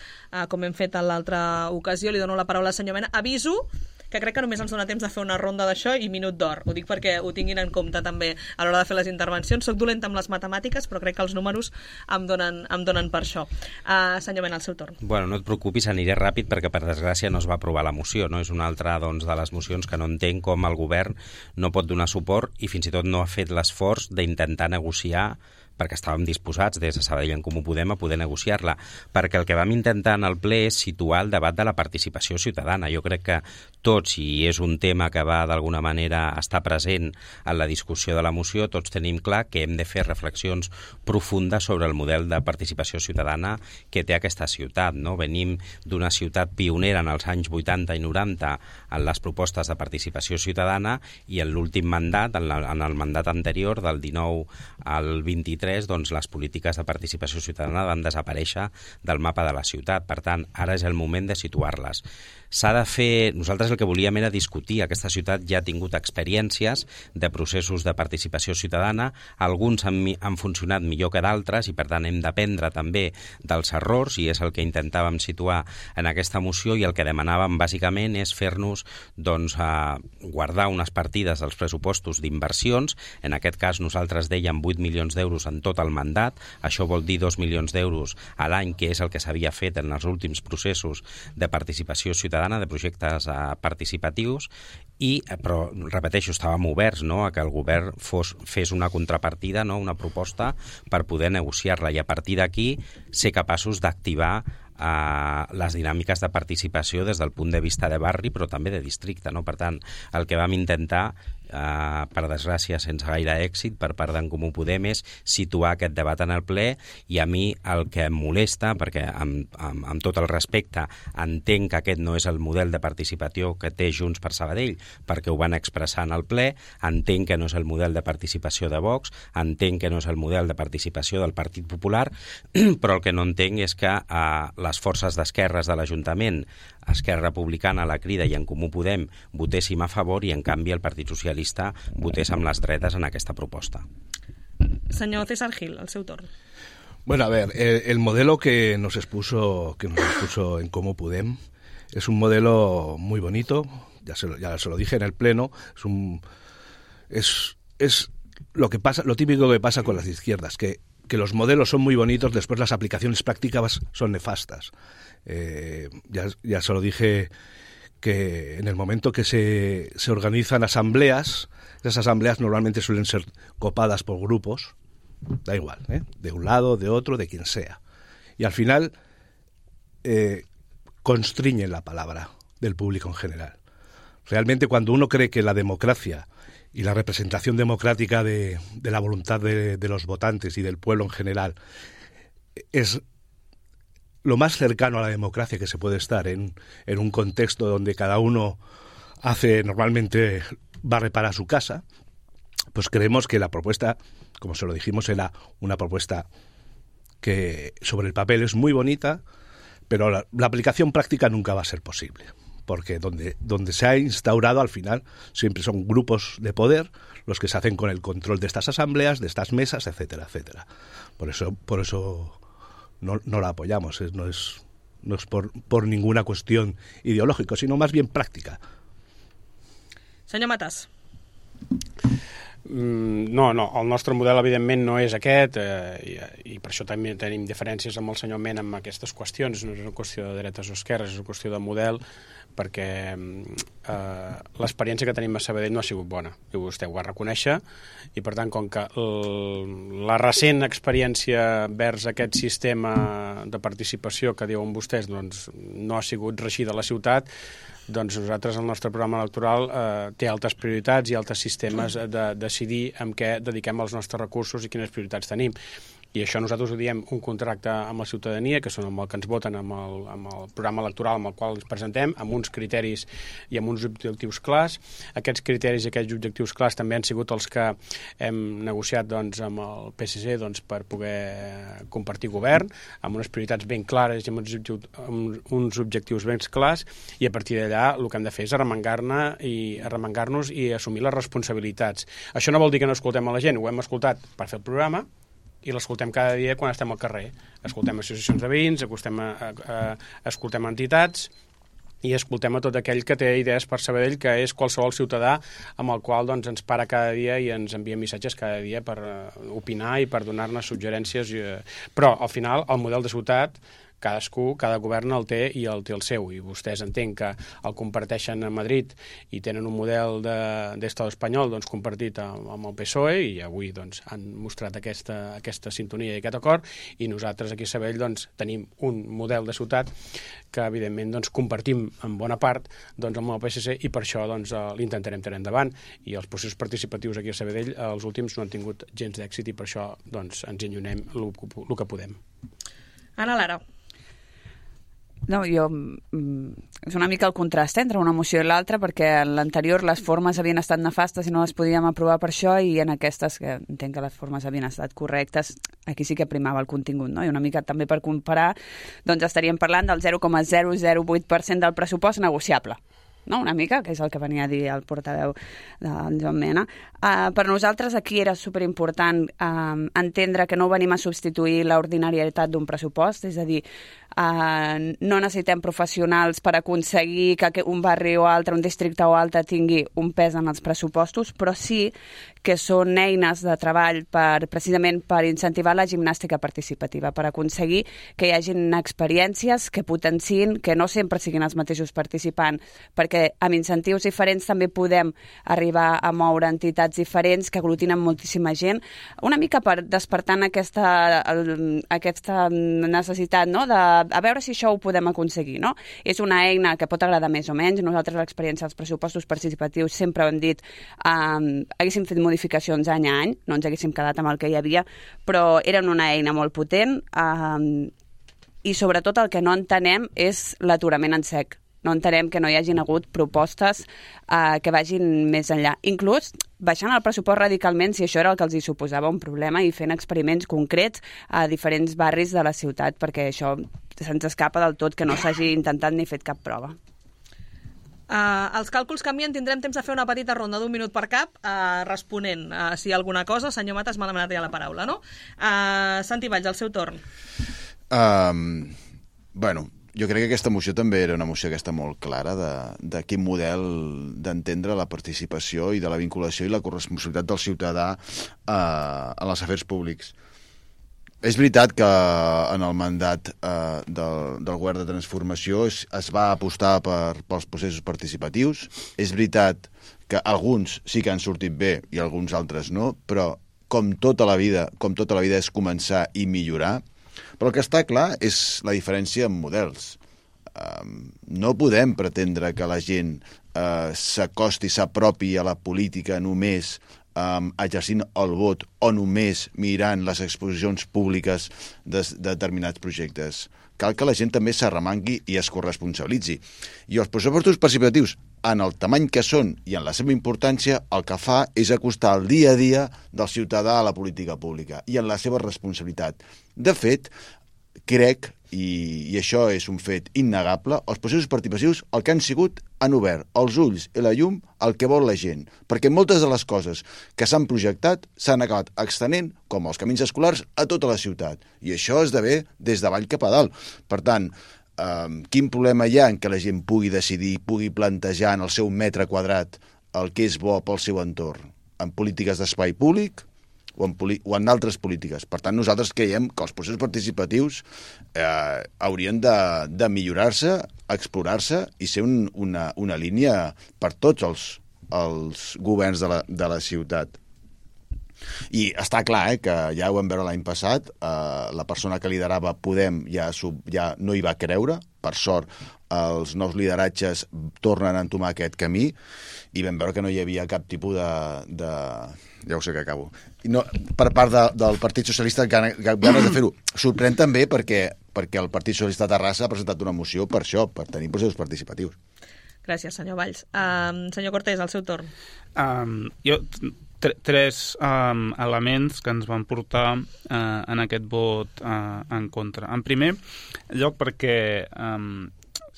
Com hem fet en l'altra ocasió, li dono la paraula al senyor Mena. Aviso que crec que només ens dona temps de fer una ronda d'això i minut d'or. Ho dic perquè ho tinguin en compte també a l'hora de fer les intervencions. Soc dolenta amb les matemàtiques, però crec que els números em donen per això. Senyor Mena, el seu torn. Bueno, no et preocupis, aniré ràpid perquè per desgràcia no es va aprovar la moció, no? És una altra de les mocions que no entenc com el govern no pot donar suport i fins i tot no ha fet l'esforç d'intentar negociar, perquè estàvem disposats des de Sabadell en Comú Podem a poder negociar-la, perquè el que vam intentar en el ple és situar el debat de la participació ciutadana. Jo crec que tots, i és un tema que va d'alguna manera estar present en la discussió de la moció, tots tenim clar que hem de fer reflexions profundes sobre el model de participació ciutadana que té aquesta ciutat, no? Venim d'una ciutat pionera en els anys 80 i 90 en les propostes de participació ciutadana i en l'últim mandat, en el mandat anterior, del 19 al 23, doncs les polítiques de participació ciutadana van desaparèixer del mapa de la ciutat. Per tant, ara és el moment de situar-les. S'ha de fer... Nosaltres el que volíem era discutir. Aquesta ciutat ja ha tingut experiències de processos de participació ciutadana. Alguns han funcionat millor que d'altres i, per tant, hem d'aprendre també dels errors i és el que intentàvem situar en aquesta moció i el que demanàvem bàsicament és fer-nos guardar unes partides dels pressupostos d'inversions. En aquest cas nosaltres dèiem 8 milions d'euros en tot el mandat. Això vol dir 2 milions d'euros a l'any, que és el que s'havia fet en els últims processos de participació ciutadana, de projectes participatius, però, repeteixo, estàvem oberts, no?, a que el govern fes una contrapartida, no?, una proposta per poder negociar-la i a partir d'aquí ser capaços d'activar les dinàmiques de participació des del punt de vista de barri però també de districte, no? Per tant, el que vam intentar, per desgràcia sense gaire èxit per part d'en Comú Podem, és situar aquest debat en el ple i a mi el que em molesta, perquè amb tot el respecte entenc que aquest no és el model de participació que té Junts per Sabadell perquè ho van expressar en el ple, entenc que no és el model de participació de Vox, entenc que no és el model de participació del Partit Popular, però el que no entenc és que les forces d'esquerres de l'Ajuntament, Esquerra Republicana, la Crida i en Comú Podem votéssim a favor i en canvi el Partit Socialista votés amb les dretes en aquesta proposta. Senyor César Gil, el seu torn. Bueno, a ver, el modelo que nos expuso en Comú Podem es un modelo muy bonito, ya se lo dije en el pleno, es lo típico que pasa con las izquierdas, que los modelos son muy bonitos, después las aplicaciones prácticas son nefastas. Ya se lo dije que en el momento que se organizan asambleas, esas asambleas normalmente suelen ser copadas por grupos, da igual, de un lado, de otro, de quien sea. Y al final constriñen la palabra del público en general. Realmente cuando uno cree que la democracia y la representación democrática de la voluntad de los votantes y del pueblo en general es lo más cercano a la democracia que se puede estar en un contexto donde cada uno normalmente barre para su casa, pues creemos que la propuesta, como se lo dijimos, era una propuesta que sobre el papel es muy bonita, pero la aplicación práctica nunca va a ser posible, porque donde se ha instaurado al final siempre son grupos de poder los que se hacen con el control de estas asambleas, de estas mesas, etcétera, etcétera. Por eso no la apoyamos, no es por ninguna cuestión ideológica, sino más bien práctica. Senyor Matas. No, el nostre model evidentment no és aquest i per això també tenim diferències amb el senyor Mena en aquestes qüestions. No és una qüestió de dretes o esquerres, és una qüestió de model, perquè l'experiència que tenim a Sabadell no ha sigut bona i vostè ho va reconèixer i per tant com que la recent experiència vers aquest sistema de participació que diuen vostès doncs, no ha sigut reeixida a la ciutat, doncs nosaltres el nostre programa electoral té altres prioritats i altres sistemes de decidir en què dediquem els nostres recursos i quines prioritats tenim. I això nosaltres ho diem un contracte amb la ciutadania, que són amb el que ens voten amb el programa electoral amb el qual ens presentem, amb uns criteris i amb uns objectius clars. Aquests criteris i aquests objectius clars també han sigut els que hem negociat doncs, amb el PSC per poder compartir govern, amb unes prioritats ben clares i amb uns objectius ben clars, i a partir d'allà el que hem de fer és arremangar-nos i assumir les responsabilitats. Això no vol dir que no escoltem a la gent, ho hem escoltat per fer el programa, i l'escoltem cada dia quan estem al carrer. Escoltem associacions de veïns, escoltem entitats i escoltem a tot aquell que té idees per Sabadell, que és qualsevol ciutadà amb el qual doncs, ens para cada dia i ens envia missatges cada dia per opinar i per donar-ne suggerències. Però, al final, el model de ciutat cada govern el té i el té el seu, i vostès entenc que el comparteixen a Madrid i tenen un model d'Estat espanyol doncs, compartit amb el PSOE, i avui doncs, han mostrat aquesta sintonia i aquest acord, i nosaltres aquí a Sabadell doncs, tenim un model de ciutat que evidentment doncs, compartim en bona part doncs, amb el PSC, i per això doncs, l'intentarem tenir endavant, i els processos participatius aquí a Sabadell els últims no han tingut gens d'èxit, i per això doncs, ens enllunem el que podem. Ana Lara. No, és una mica el contrast entre una moció i l'altra, perquè en l'anterior les formes havien estat nefastes i no les podíem aprovar per això, i en aquestes, que entenc que les formes havien estat correctes, aquí sí que primava el contingut, no? I una mica també per comparar, doncs estaríem parlant del 0,008% del pressupost negociable, no? Una mica, que és el que venia a dir el portaveu del Joan Mena. Per nosaltres aquí era superimportant entendre que no venim a substituir l'ordinarietat d'un pressupost, és a dir, no necessitem professionals per aconseguir que un barri o altre, un districte o altre tingui un pes en els pressupostos, però sí que són eines de treball precisament per incentivar la gimnàstica participativa, per aconseguir que hi hagin experiències que potenciïn, que no sempre siguin els mateixos participants, perquè amb incentius diferents també podem arribar a moure entitats diferents que aglutinen moltíssima gent, una mica per despertant aquesta necessitat, no?, a veure si això ho podem aconseguir, no? És una eina que pot agradar més o menys. Nosaltres l'experiència dels pressupostos participatius sempre hem dit haguéssim fet modificacions any a any, no ens haguéssim quedat amb el que hi havia, però eren una eina molt potent, i sobretot el que no entenem és l'aturament en sec. No entenem que no hi hagin hagut propostes que vagin més enllà. Inclús baixant el pressupost radicalment, si això era el que els hi suposava un problema, i fent experiments concrets a diferents barris de la ciutat, perquè això se'ns escapa del tot que no s'hagi intentat ni fet cap prova. Els càlculs canvien, tindrem temps de fer una petita ronda d'un minut per cap, responent si hi ha alguna cosa. Senyor Matas, m'ha demanat ja la paraula, no? Santi Valls, al seu torn. Bueno, jo crec que aquesta moció també era una moció que està molt clara de quin model d'entendre la participació i de la vinculació i la corresponsabilitat del ciutadà en els afers públics. És veritat que en el mandat del govern de transformació es va apostar pels processos participatius. És veritat que alguns sí que han sortit bé i alguns altres no, però com tota la vida és començar i millorar. Però el que està clar és la diferència en models. No podem pretendre que la gent s'acosti, s'apropi a la política només exercint el vot o només mirant les exposicions públiques de determinats projectes. Cal que la gent també s'arremangui i es corresponsabilitzi. I els pressupostos participatius, en el tamany que són i en la seva importància, el que fa és acostar el dia a dia del ciutadà a la política pública i en la seva responsabilitat. De fet, crec, i això és un fet innegable, els processos participatius el que han sigut han obert els ulls i la llum al que vol la gent, perquè moltes de les coses que s'han projectat s'han acabat extenent, com els camins escolars, a tota la ciutat. I això esdevé des de baix cap a dalt. Per tant, quin problema hi ha en que la gent pugui decidir, pugui plantejar en el seu metre quadrat el que és bo pel seu entorn, en polítiques d'espai públic o en altres polítiques. Per tant, nosaltres creiem que els processos participatius haurien de millorar-se, explorar-se i ser una línia per tots els governs de la ciutat. I està clar, que ja ho vam veure l'any passat, la persona que liderava Podem ja no hi va creure, per sort els nous lideratges tornen a entomar aquest camí i vam veure que no hi havia cap tipus de ja ho sé que acabo. No, per part del Partit Socialista ganes de fer-ho. Sorprèn també perquè el Partit Socialista de Terrassa ha presentat una moció per això, per tenir processos participatius. Gràcies, senyor Valls. Senyor Cortés, al seu torn. Tres elements que ens van portar en aquest vot en contra. En primer lloc, perquè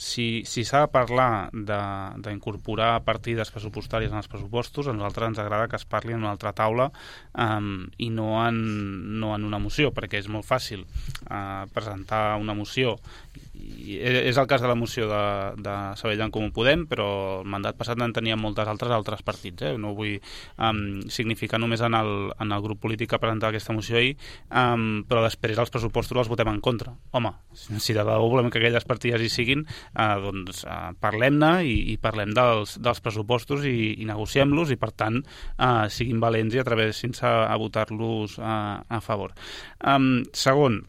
si s'ha de parlar d'incorporar partides pressupostàries en els pressupostos, a nosaltres ens agrada que es parli en una altra taula i no en una moció, perquè és molt fàcil presentar una moció. És el cas de la moció de Sabadell en Comú Podem, però el mandat passat en tenien moltes altres partits. No vull significar només en el grup polític que ha presentat aquesta moció ahir, però després els pressupostos els votem en contra. Home, si de debò volem que aquelles partides hi siguin, doncs parlem-ne i parlem dels pressupostos i negociem-los i, per tant, siguin valents i atrevissin-se a votar-los a favor. Segon,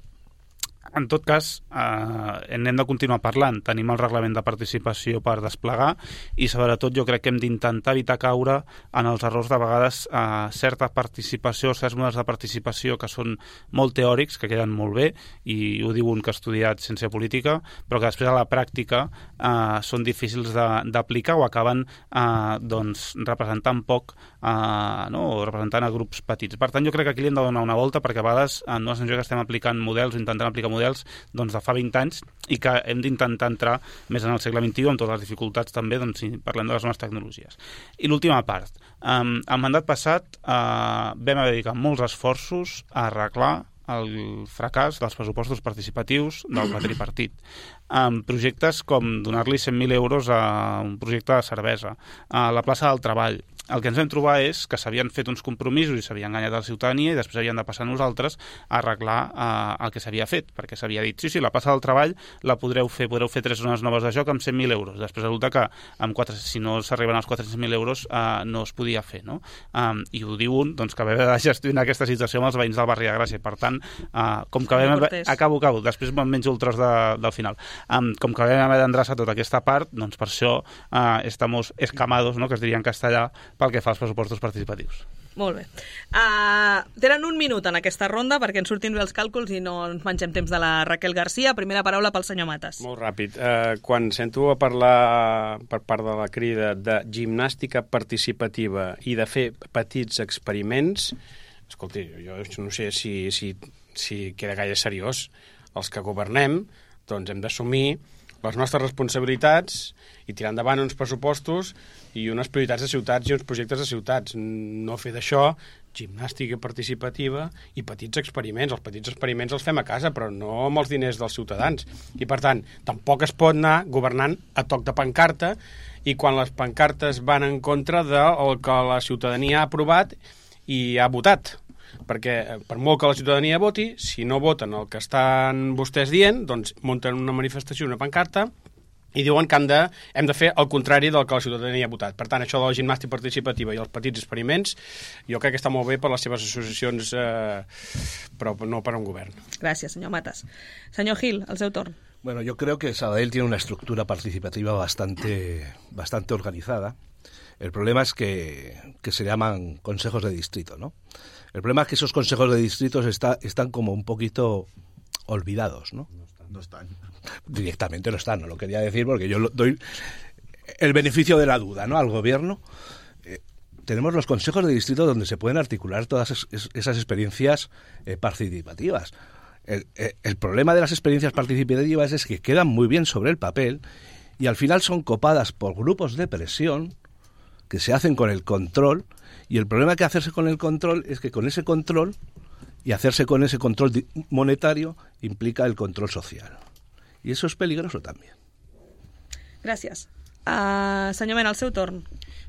en tot cas, n'hem de continuar parlant. Tenim el reglament de participació per desplegar i, sobretot, jo crec que hem d'intentar evitar caure en els errors de vegades certa participació, certs models de participació que són molt teòrics, que queden molt bé, i ho diu un que ha estudiat ciència política, però que després a la pràctica són difícils d'aplicar o acaben representant poc o representant a grups petits. Per tant, jo crec que aquí li hem de donar una volta, perquè a vegades no és sensació que estem aplicant models o intentant aplicar models de fa 20 anys i que hem d'intentar entrar més en el segle XXI amb totes les dificultats també si parlem de les noves tecnologies. I l'última part. El mandat passat vam haver de dedicar molts esforços a arreglar el fracàs dels pressupostos participatius del tripartit. Projectes com donar-li 100.000 euros a un projecte de cervesa, a la plaça del treball. El que ens vam trobar és que s'havien fet uns compromisos i s'havien enganyat a la ciutadania i després havien de passar nosaltres a arreglar el que s'havia fet, perquè s'havia dit, sí, la plaça del treball la podreu fer 3 zones noves de joc amb 100.000 euros. Després resulta que si no s'arriben als 400.000 euros no es podia fer, no? I ho diu un que va haver de gestionar aquesta situació amb els veïns del barri de Gràcia. Per tant, com que vam... Acabo, després me'n menjo el tros del final. Com que vam haver d'endreçar tota aquesta part, doncs per això estamos escamados, no?, que es diria en castellà, pel que fa als pressupostos participatius. Molt bé. Tenen un minut en aquesta ronda perquè ens surtin bé els càlculs i no ens mengem temps de la Raquel Garcia. Primera paraula pel senyor Matas. Molt ràpid. Quan sento a parlar per part de la crida de gimnàstica participativa i de fer petits experiments, escolti, jo no sé si queda gaire seriós. Els que governem, doncs hem d'assumir les nostres responsabilitats i tirar endavant uns pressupostos i unes prioritats de ciutats i uns projectes de ciutats. No fer d'això gimnàstica participativa i petits experiments. Els petits experiments els fem a casa, però no amb els diners dels ciutadans. I, per tant, tampoc es pot anar governant a toc de pancarta i quan les pancartes van en contra del que la ciutadania ha aprovat i ha votat. Perquè per molt que la ciutadania voti, si no voten el que estan vostès dient, doncs munten una manifestació, una pancarta, i diuen que hem de fer el contrari del que la ciutadania ha votat. Per tant, això de la gimnàstica participativa i els petits experiments, jo crec que està molt bé per les seves associacions, però no per un govern. Gràcies, senyor Matas. Senyor Gil, el seu torn. Bueno, yo creo que Sabadell tiene una estructura participativa bastante organizada. El problema es que se llaman consejos de distrito, ¿no? El problema es que esos consejos de distritos están como un poquito olvidados, ¿no? No están. Directamente no están, no lo quería decir porque yo doy el beneficio de la duda, ¿no?, al gobierno. Tenemos los consejos de distrito donde se pueden articular todas esas experiencias participativas. El problema de las experiencias participativas es que quedan muy bien sobre el papel y al final son copadas por grupos de presión que se hacen con el control, y el problema que hacerse con el control es que con ese control y hacerse con ese control monetario implica el control social. Y eso es peligroso también. Gràcies. Senyor Mena, el seu torn.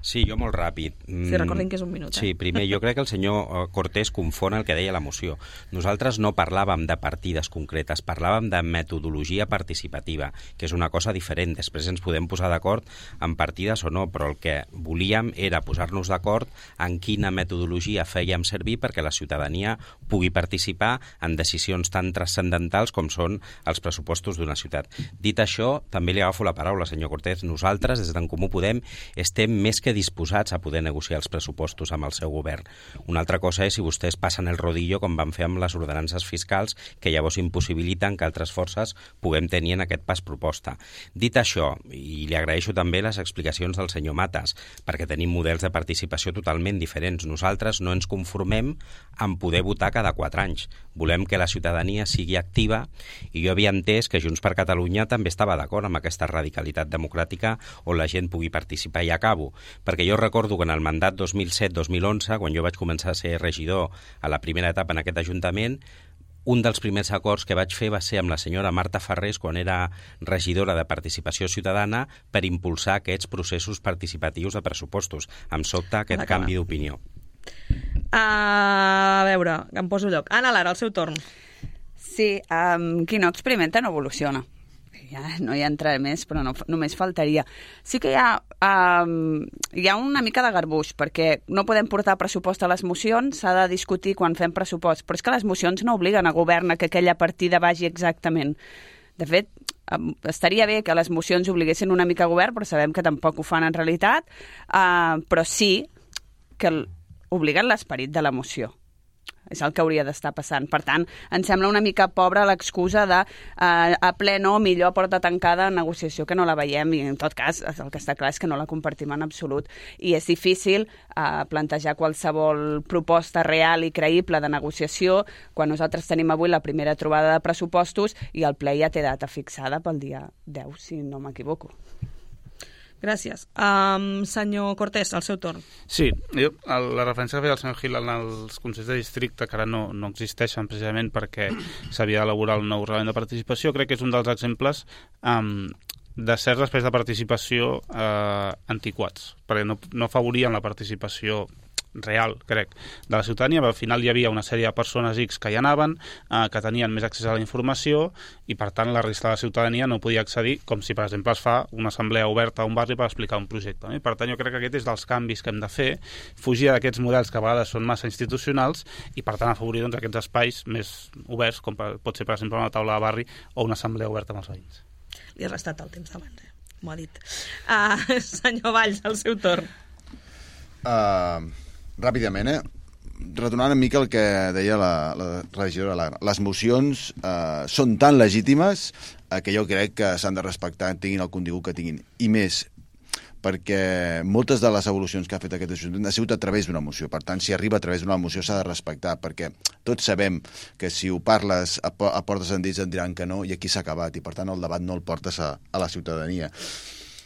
Sí, jo molt ràpid. Sí, recordem que és un minut. Sí, primer, jo crec que el senyor Cortés confon el que deia la moció. Nosaltres no parlàvem de partides concretes, parlàvem de metodologia participativa, que és una cosa diferent. Després ens podem posar d'acord en partides o no, però el que volíem era posar-nos d'acord en quina metodologia fèiem servir perquè la ciutadania pugui participar en decisions tan transcendentals com són els pressupostos d'una ciutat. Dit això, també li agafo la paraula, senyor Cortés. Nosaltres, des d'en Comú Podem, estem més que disposats a poder negociar els pressupostos amb el seu govern. Una altra cosa és si vostès passen el rodillo com van fer amb les ordenances fiscals, que llavors impossibiliten que altres forces puguem tenir en aquest pas proposta. Dit això, i li agraeixo també les explicacions del senyor Matas, perquè tenim models de participació totalment diferents. Nosaltres no ens conformem en poder votar cada 4 anys. Volem que la ciutadania sigui activa i jo havia entès que Junts per Catalunya també estava d'acord amb aquesta radicalitat democràtica on la gent pugui participar. I acabo, perquè jo recordo que en el mandat 2007-2011, quan jo vaig començar a ser regidor a la primera etapa en aquest Ajuntament, un dels primers acords que vaig fer va ser amb la senyora Marta Farrés, quan era regidora de Participació Ciutadana, per impulsar aquests processos participatius de pressupostos. Em sobta aquest canvi d'opinió. A veure, em poso lloc. Anna Lara, el seu torn. Sí, qui no experimenta no evoluciona. Ja no hi entraré més, però no, només faltaria. Sí que hi ha una mica de garbuix, perquè no podem portar pressupost a les mocions, s'ha de discutir quan fem pressupost, però és que les mocions no obliguen a govern a que aquella partida vagi exactament. De fet, estaria bé que les mocions obliguessin una mica a govern, però sabem que tampoc ho fan en realitat, però sí que obliguen l'esperit de la moció. És el que hauria d'estar passant. Per tant, em sembla una mica pobra l'excusa de a ple no, millor porta tancada negociació, que no la veiem, i en tot cas el que està clar és que no la compartim en absolut. I és difícil plantejar qualsevol proposta real i creïble de negociació quan nosaltres tenim avui la primera trobada de pressupostos i el ple ja té data fixada pel dia 10, si no m'equivoco. Gràcies. Senyor Cortés, el seu torn. Sí, la referència que feia el senyor Gil en els consells de districte, que ara no existeixen precisament perquè s'havia d'elaborar el nou reglament de participació, crec que és un dels exemples de certs espais de participació antiquats, perquè no afavorien la participació real, crec, de la ciutadania. Al final hi havia una sèrie de persones X que hi anaven, que tenien més accés a la informació i, per tant, la resta de la ciutadania no podia accedir, com si, per exemple, es fa una assemblea oberta a un barri per explicar un projecte. I, per tant, jo crec que aquest és dels canvis que hem de fer, fugir d'aquests models que a vegades són massa institucionals i, per tant, afavorir aquests espais més oberts, com pot ser, per exemple, una taula de barri o una assemblea oberta amb els veïns. Li has restat el temps d'abans, m'ho ha dit. Senyor Valls, el seu torn. Ràpidament, retornant una mica el que deia la regidora Lara. Les mocions són tan legítimes que jo crec que s'han de respectar, tinguin el contingut que tinguin. I més, perquè moltes de les evolucions que ha fet aquest Ajuntament ha sigut a través d'una moció. Per tant, si arriba a través d'una moció s'ha de respectar, perquè tots sabem que si ho parles a portes endins et diran que no i aquí s'ha acabat, i per tant el debat no el portes a la ciutadania.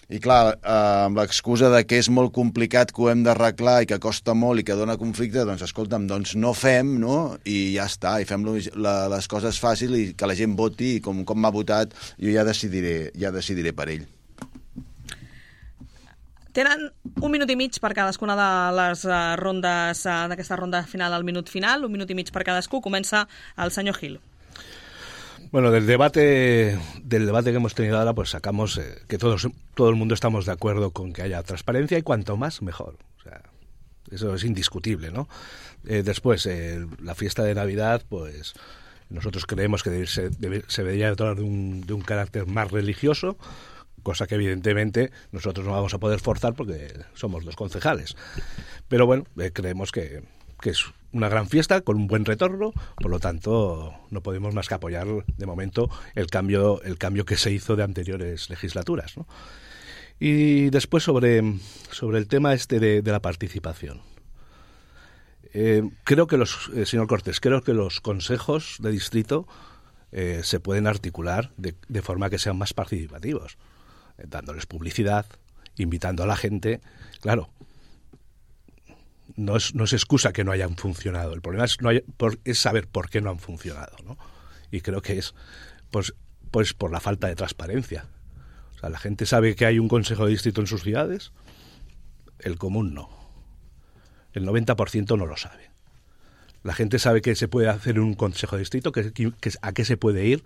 I clar, amb l'excusa de que és molt complicat, que ho hem d'arreglar i que costa molt i que dona conflicte, doncs escolta'm, doncs no fem, no? I ja està, i fem les coses fàcil i que la gent voti, i com m'ha votat jo ja decidiré per ell. Tenen 1 minut i mig per cadascuna de les rondes d'aquesta ronda final al minut final, 1 minut i mig per cadascú. Comença el senyor Gil. Bueno, del debate que hemos tenido ahora, pues sacamos que todo el mundo estamos de acuerdo con que haya transparencia y cuanto más, mejor. O sea, eso es indiscutible, ¿no? Después, la fiesta de Navidad, pues nosotros creemos que se debería tratar de un carácter más religioso, cosa que evidentemente nosotros no vamos a poder forzar porque somos 2 concejales. Pero bueno, creemos que es una gran fiesta con un buen retorno, por lo tanto no podemos más que apoyar de momento el cambio que se hizo de anteriores legislaturas, ¿no? Y después sobre el tema de la participación. Creo que señor Cortés, creo que los consejos de distrito se pueden articular de forma que sean más participativos, dándoles publicidad, invitando a la gente. Claro, no es excusa que no hayan funcionado. El problema es saber por qué no han funcionado, ¿no? Y creo que es pues por la falta de transparencia. O sea, la gente sabe que hay un consejo de distrito en sus ciudades, el común no. El 90% no lo sabe. La gente sabe que se puede hacer un consejo de distrito, que a qué se puede ir,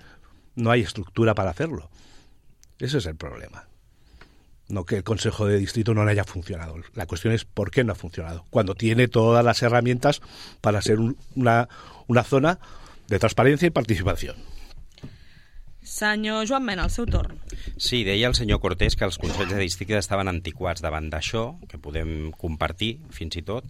no hay estructura para hacerlo. Ese es el problema. No que el consejo de distrito no haya funcionado. La cuestión es por qué no ha funcionado, cuando tiene todas las herramientas para ser una zona de transparència i participació. Senyor Joan Mena, el seu torn. Sí, deia el senyor Cortés que els consells de districte estaven antiquats davant d'això, que podem compartir fins i tot.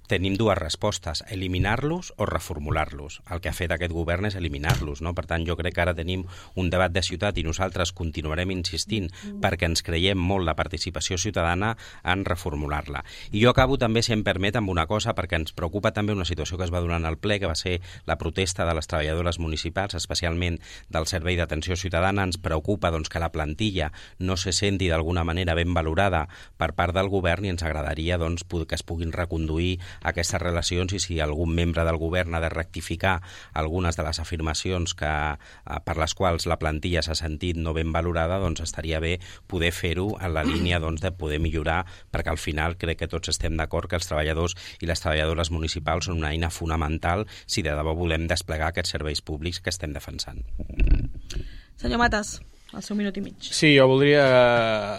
Tenim dues respostes, eliminar-los o reformular-los. El que ha fet aquest govern és eliminar-los, no? Per tant, jo crec que ara tenim un debat de ciutat i nosaltres continuarem insistint perquè ens creiem molt la participació ciutadana en reformular-la. I jo acabo també, si em permet, amb una cosa, perquè ens preocupa també una situació que es va donar al ple, que va ser la protesta de les treballadores municipals, especialment del Servei d'Atenció Ciutadana. Ens preocupa doncs, que la plantilla no se senti d'alguna manera ben valorada per part del govern i ens agradaria doncs, que es puguin reconduir aquestes relacions i si algun membre del govern ha de rectificar algunes de les afirmacions per les quals la plantilla s'ha sentit no ben valorada, doncs estaria bé poder fer-ho en la línia doncs, de poder millorar, perquè al final crec que tots estem d'acord que els treballadors i les treballadores municipals són una eina fonamental si de debò volem desplegar aquests serveis públics que estem defensant. Senyor Matas, el seu minut i mig. Sí, jo voldria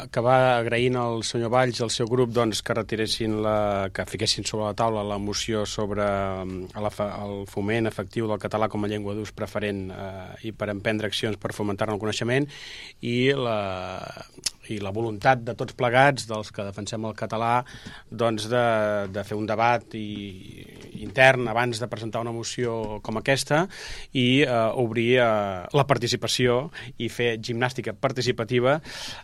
acabar agraint al senyor Valls i al seu grup doncs, que fiquessin sobre la taula la moció sobre el foment efectiu del català com a llengua d'ús preferent i per emprendre accions per fomentar-ne el coneixement i la voluntat de tots plegats, dels que defensem el català, doncs de fer un debat intern abans de presentar una moció com aquesta i obrir la participació i fer gimnàstica participativa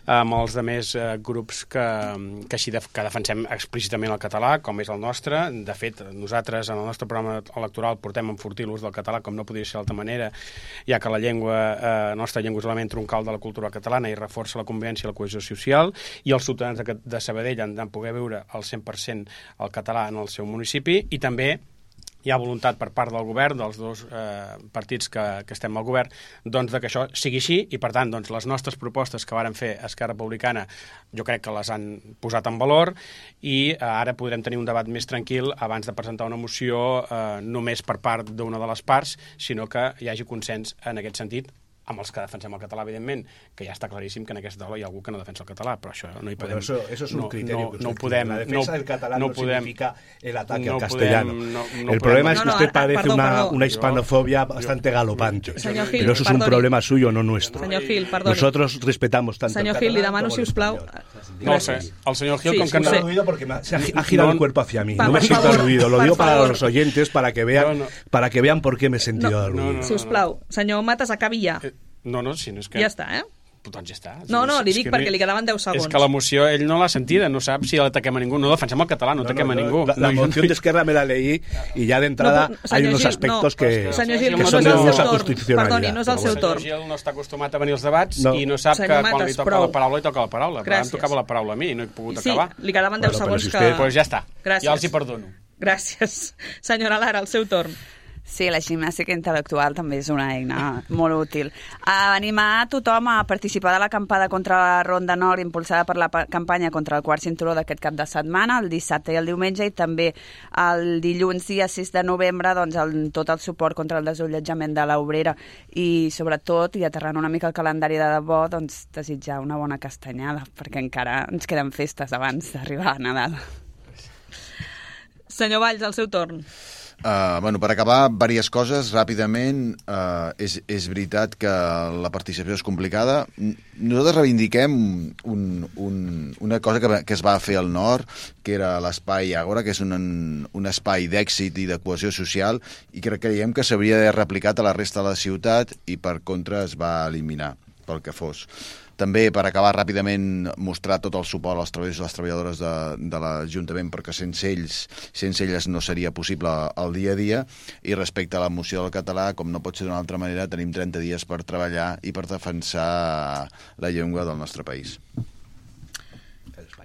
amb els altres grups que defensem explícitament el català, com és el nostre. De fet, nosaltres en el nostre programa electoral portem a enfortir l'ús del català, com no podria ser d'altra manera, ja que la nostra llengua és l'element troncal de la cultura catalana i reforça la convivència i la cohesió social, i els ciutadans de Sabadell han de poder veure al 100% el català en el seu municipi, i també hi ha voluntat per part del govern, dels dos partits que estem al govern, doncs que això sigui així, i per tant doncs, les nostres propostes que varen fer Esquerra Republicana jo crec que les han posat en valor i ara podrem tenir un debat més tranquil abans de presentar una moció només per part d'una de les parts, sinó que hi hagi consens en aquest sentit, amb els que defensem el català, evidentment, que ja està claríssim que en aquesta taula hi ha algú que no defensa el català, però això no hi podem... Eso es un criterio. No podem... La defensa del catalán no significa el ataque al castellano. El problema es que usted parece una hispanofobia bastante galopante. Pero eso es un problema suyo, no nuestro. Senyor Gil, perdoni. Nosotros respetamos tanto Senyor Gil, li demano, si us plau... No, el senyor Gil, com que no... Aludido porque se ha girado el cuerpo hacia mí. No me siento aludido. Lo digo para los oyentes, para que vean por qué me he sentido aludido. Si us plau, senyor Matas, acabi ja. No, si no és que... Ja està, Doncs ja està. No, li dic perquè li quedaven 10 segons. És que la moció, ell no l'ha sentida, no sap si l'ataquem a ningú. No defensem el català, no ataquem a ningú. La moción de Esquerra me la leí y ya de entrada hay unos aspectos que son de dudosa constitucionalidad. Perdoni, no és el seu torn. El senyor Gil no està acostumat a venir als debats i no sap que quan li toca la paraula, li toca la paraula. Però em tocava la paraula a mi i no he pogut acabar. Sí, li quedaven 10 segons que... Doncs ja està, ja els hi perdono. Gràcies. Senyora Lara, el seu torn. Sí, la gimnàstica intel·lectual també és una eina molt útil. Animar a tothom a participar de la acampada contra la Ronda Nord impulsada per la campanya contra el quart cinturó d'aquest cap de setmana, el dissabte i el diumenge, i també el dilluns dia 6 de novembre doncs, tot el suport contra el desallotjament de l'Obrera i sobretot, i aterrant una mica el calendari de debò, doncs, desitjar una bona castanyada, perquè encara ens queden festes abans d'arribar a Nadal. Senyor Valls, el seu torn. Per acabar, diverses coses, ràpidament. És veritat que la participació és complicada. Nosaltres reivindiquem una cosa que es va fer al nord, que era l'espai Àgora, que és un espai d'èxit i de cohesió social, i que creiem que s'hauria de replicar a la resta de la ciutat i per contra es va eliminar, pel que fos. També, per acabar ràpidament, mostrar tot el suport als treballadors i les treballadores de l'Ajuntament, perquè sense elles no seria possible el dia a dia. I respecte a la moció del català, com no pot ser d'una altra manera, tenim 30 dies per treballar i per defensar la llengua del nostre país.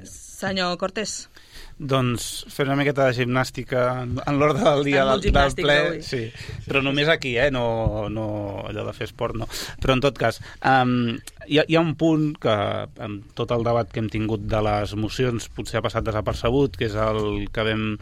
Senyor Cortés. Doncs fer una miqueta de gimnàstica en l'ordre del dia del ple. Sí. Però només aquí, no allò de fer esport, no. Però en tot cas, hi ha un punt que amb tot el debat que hem tingut de les mocions potser ha passat desapercebut, que és el que vam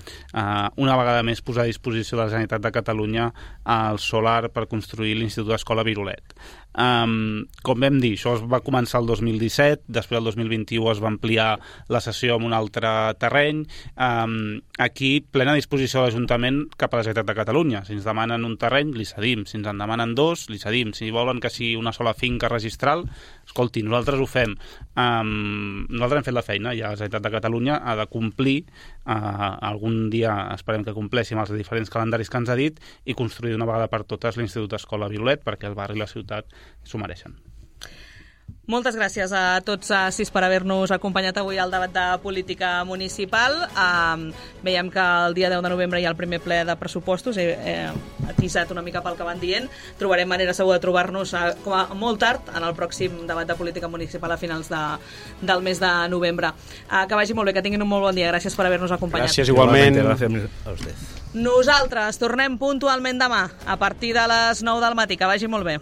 una vegada més posar a disposició de la Generalitat de Catalunya el solar per construir l'Institut d'Escola Virolet. Com vam dir, això es va començar el 2017, després el 2021 es va ampliar la sessió amb un altre terreny. Aquí, plena disposició de l'Ajuntament cap a la Generalitat de Catalunya. Si ens demanen un terreny, li cedim. Si ens en demanen dos, li cedim. Si volen que sigui una sola finca registral, escolti, nosaltres ho fem. Nosaltres hem fet la feina i la Generalitat de Catalunya ha de complir, algun dia esperem que compleixin els diferents calendaris que ens ha dit, i construir d'una vegada per totes l'Institut d'Escola Virolet, perquè el barri i la ciutat s'ho mereixen. Moltes gràcies a tots sis per haver-nos acompanyat avui al debat de política municipal. Veiem que el dia 10 de novembre hi ha el primer ple de pressupostos. He atisat una mica pel que van dient. Trobarem manera segur de trobar-nos com a molt tard en el pròxim debat de política municipal a finals del mes de novembre. Que vagi molt bé, que tinguin un molt bon dia. Gràcies per haver-nos acompanyat. Gràcies, igualment. Gràcies a vostès. Nosaltres tornem puntualment demà a partir de les 9 del matí. Que vagi molt bé.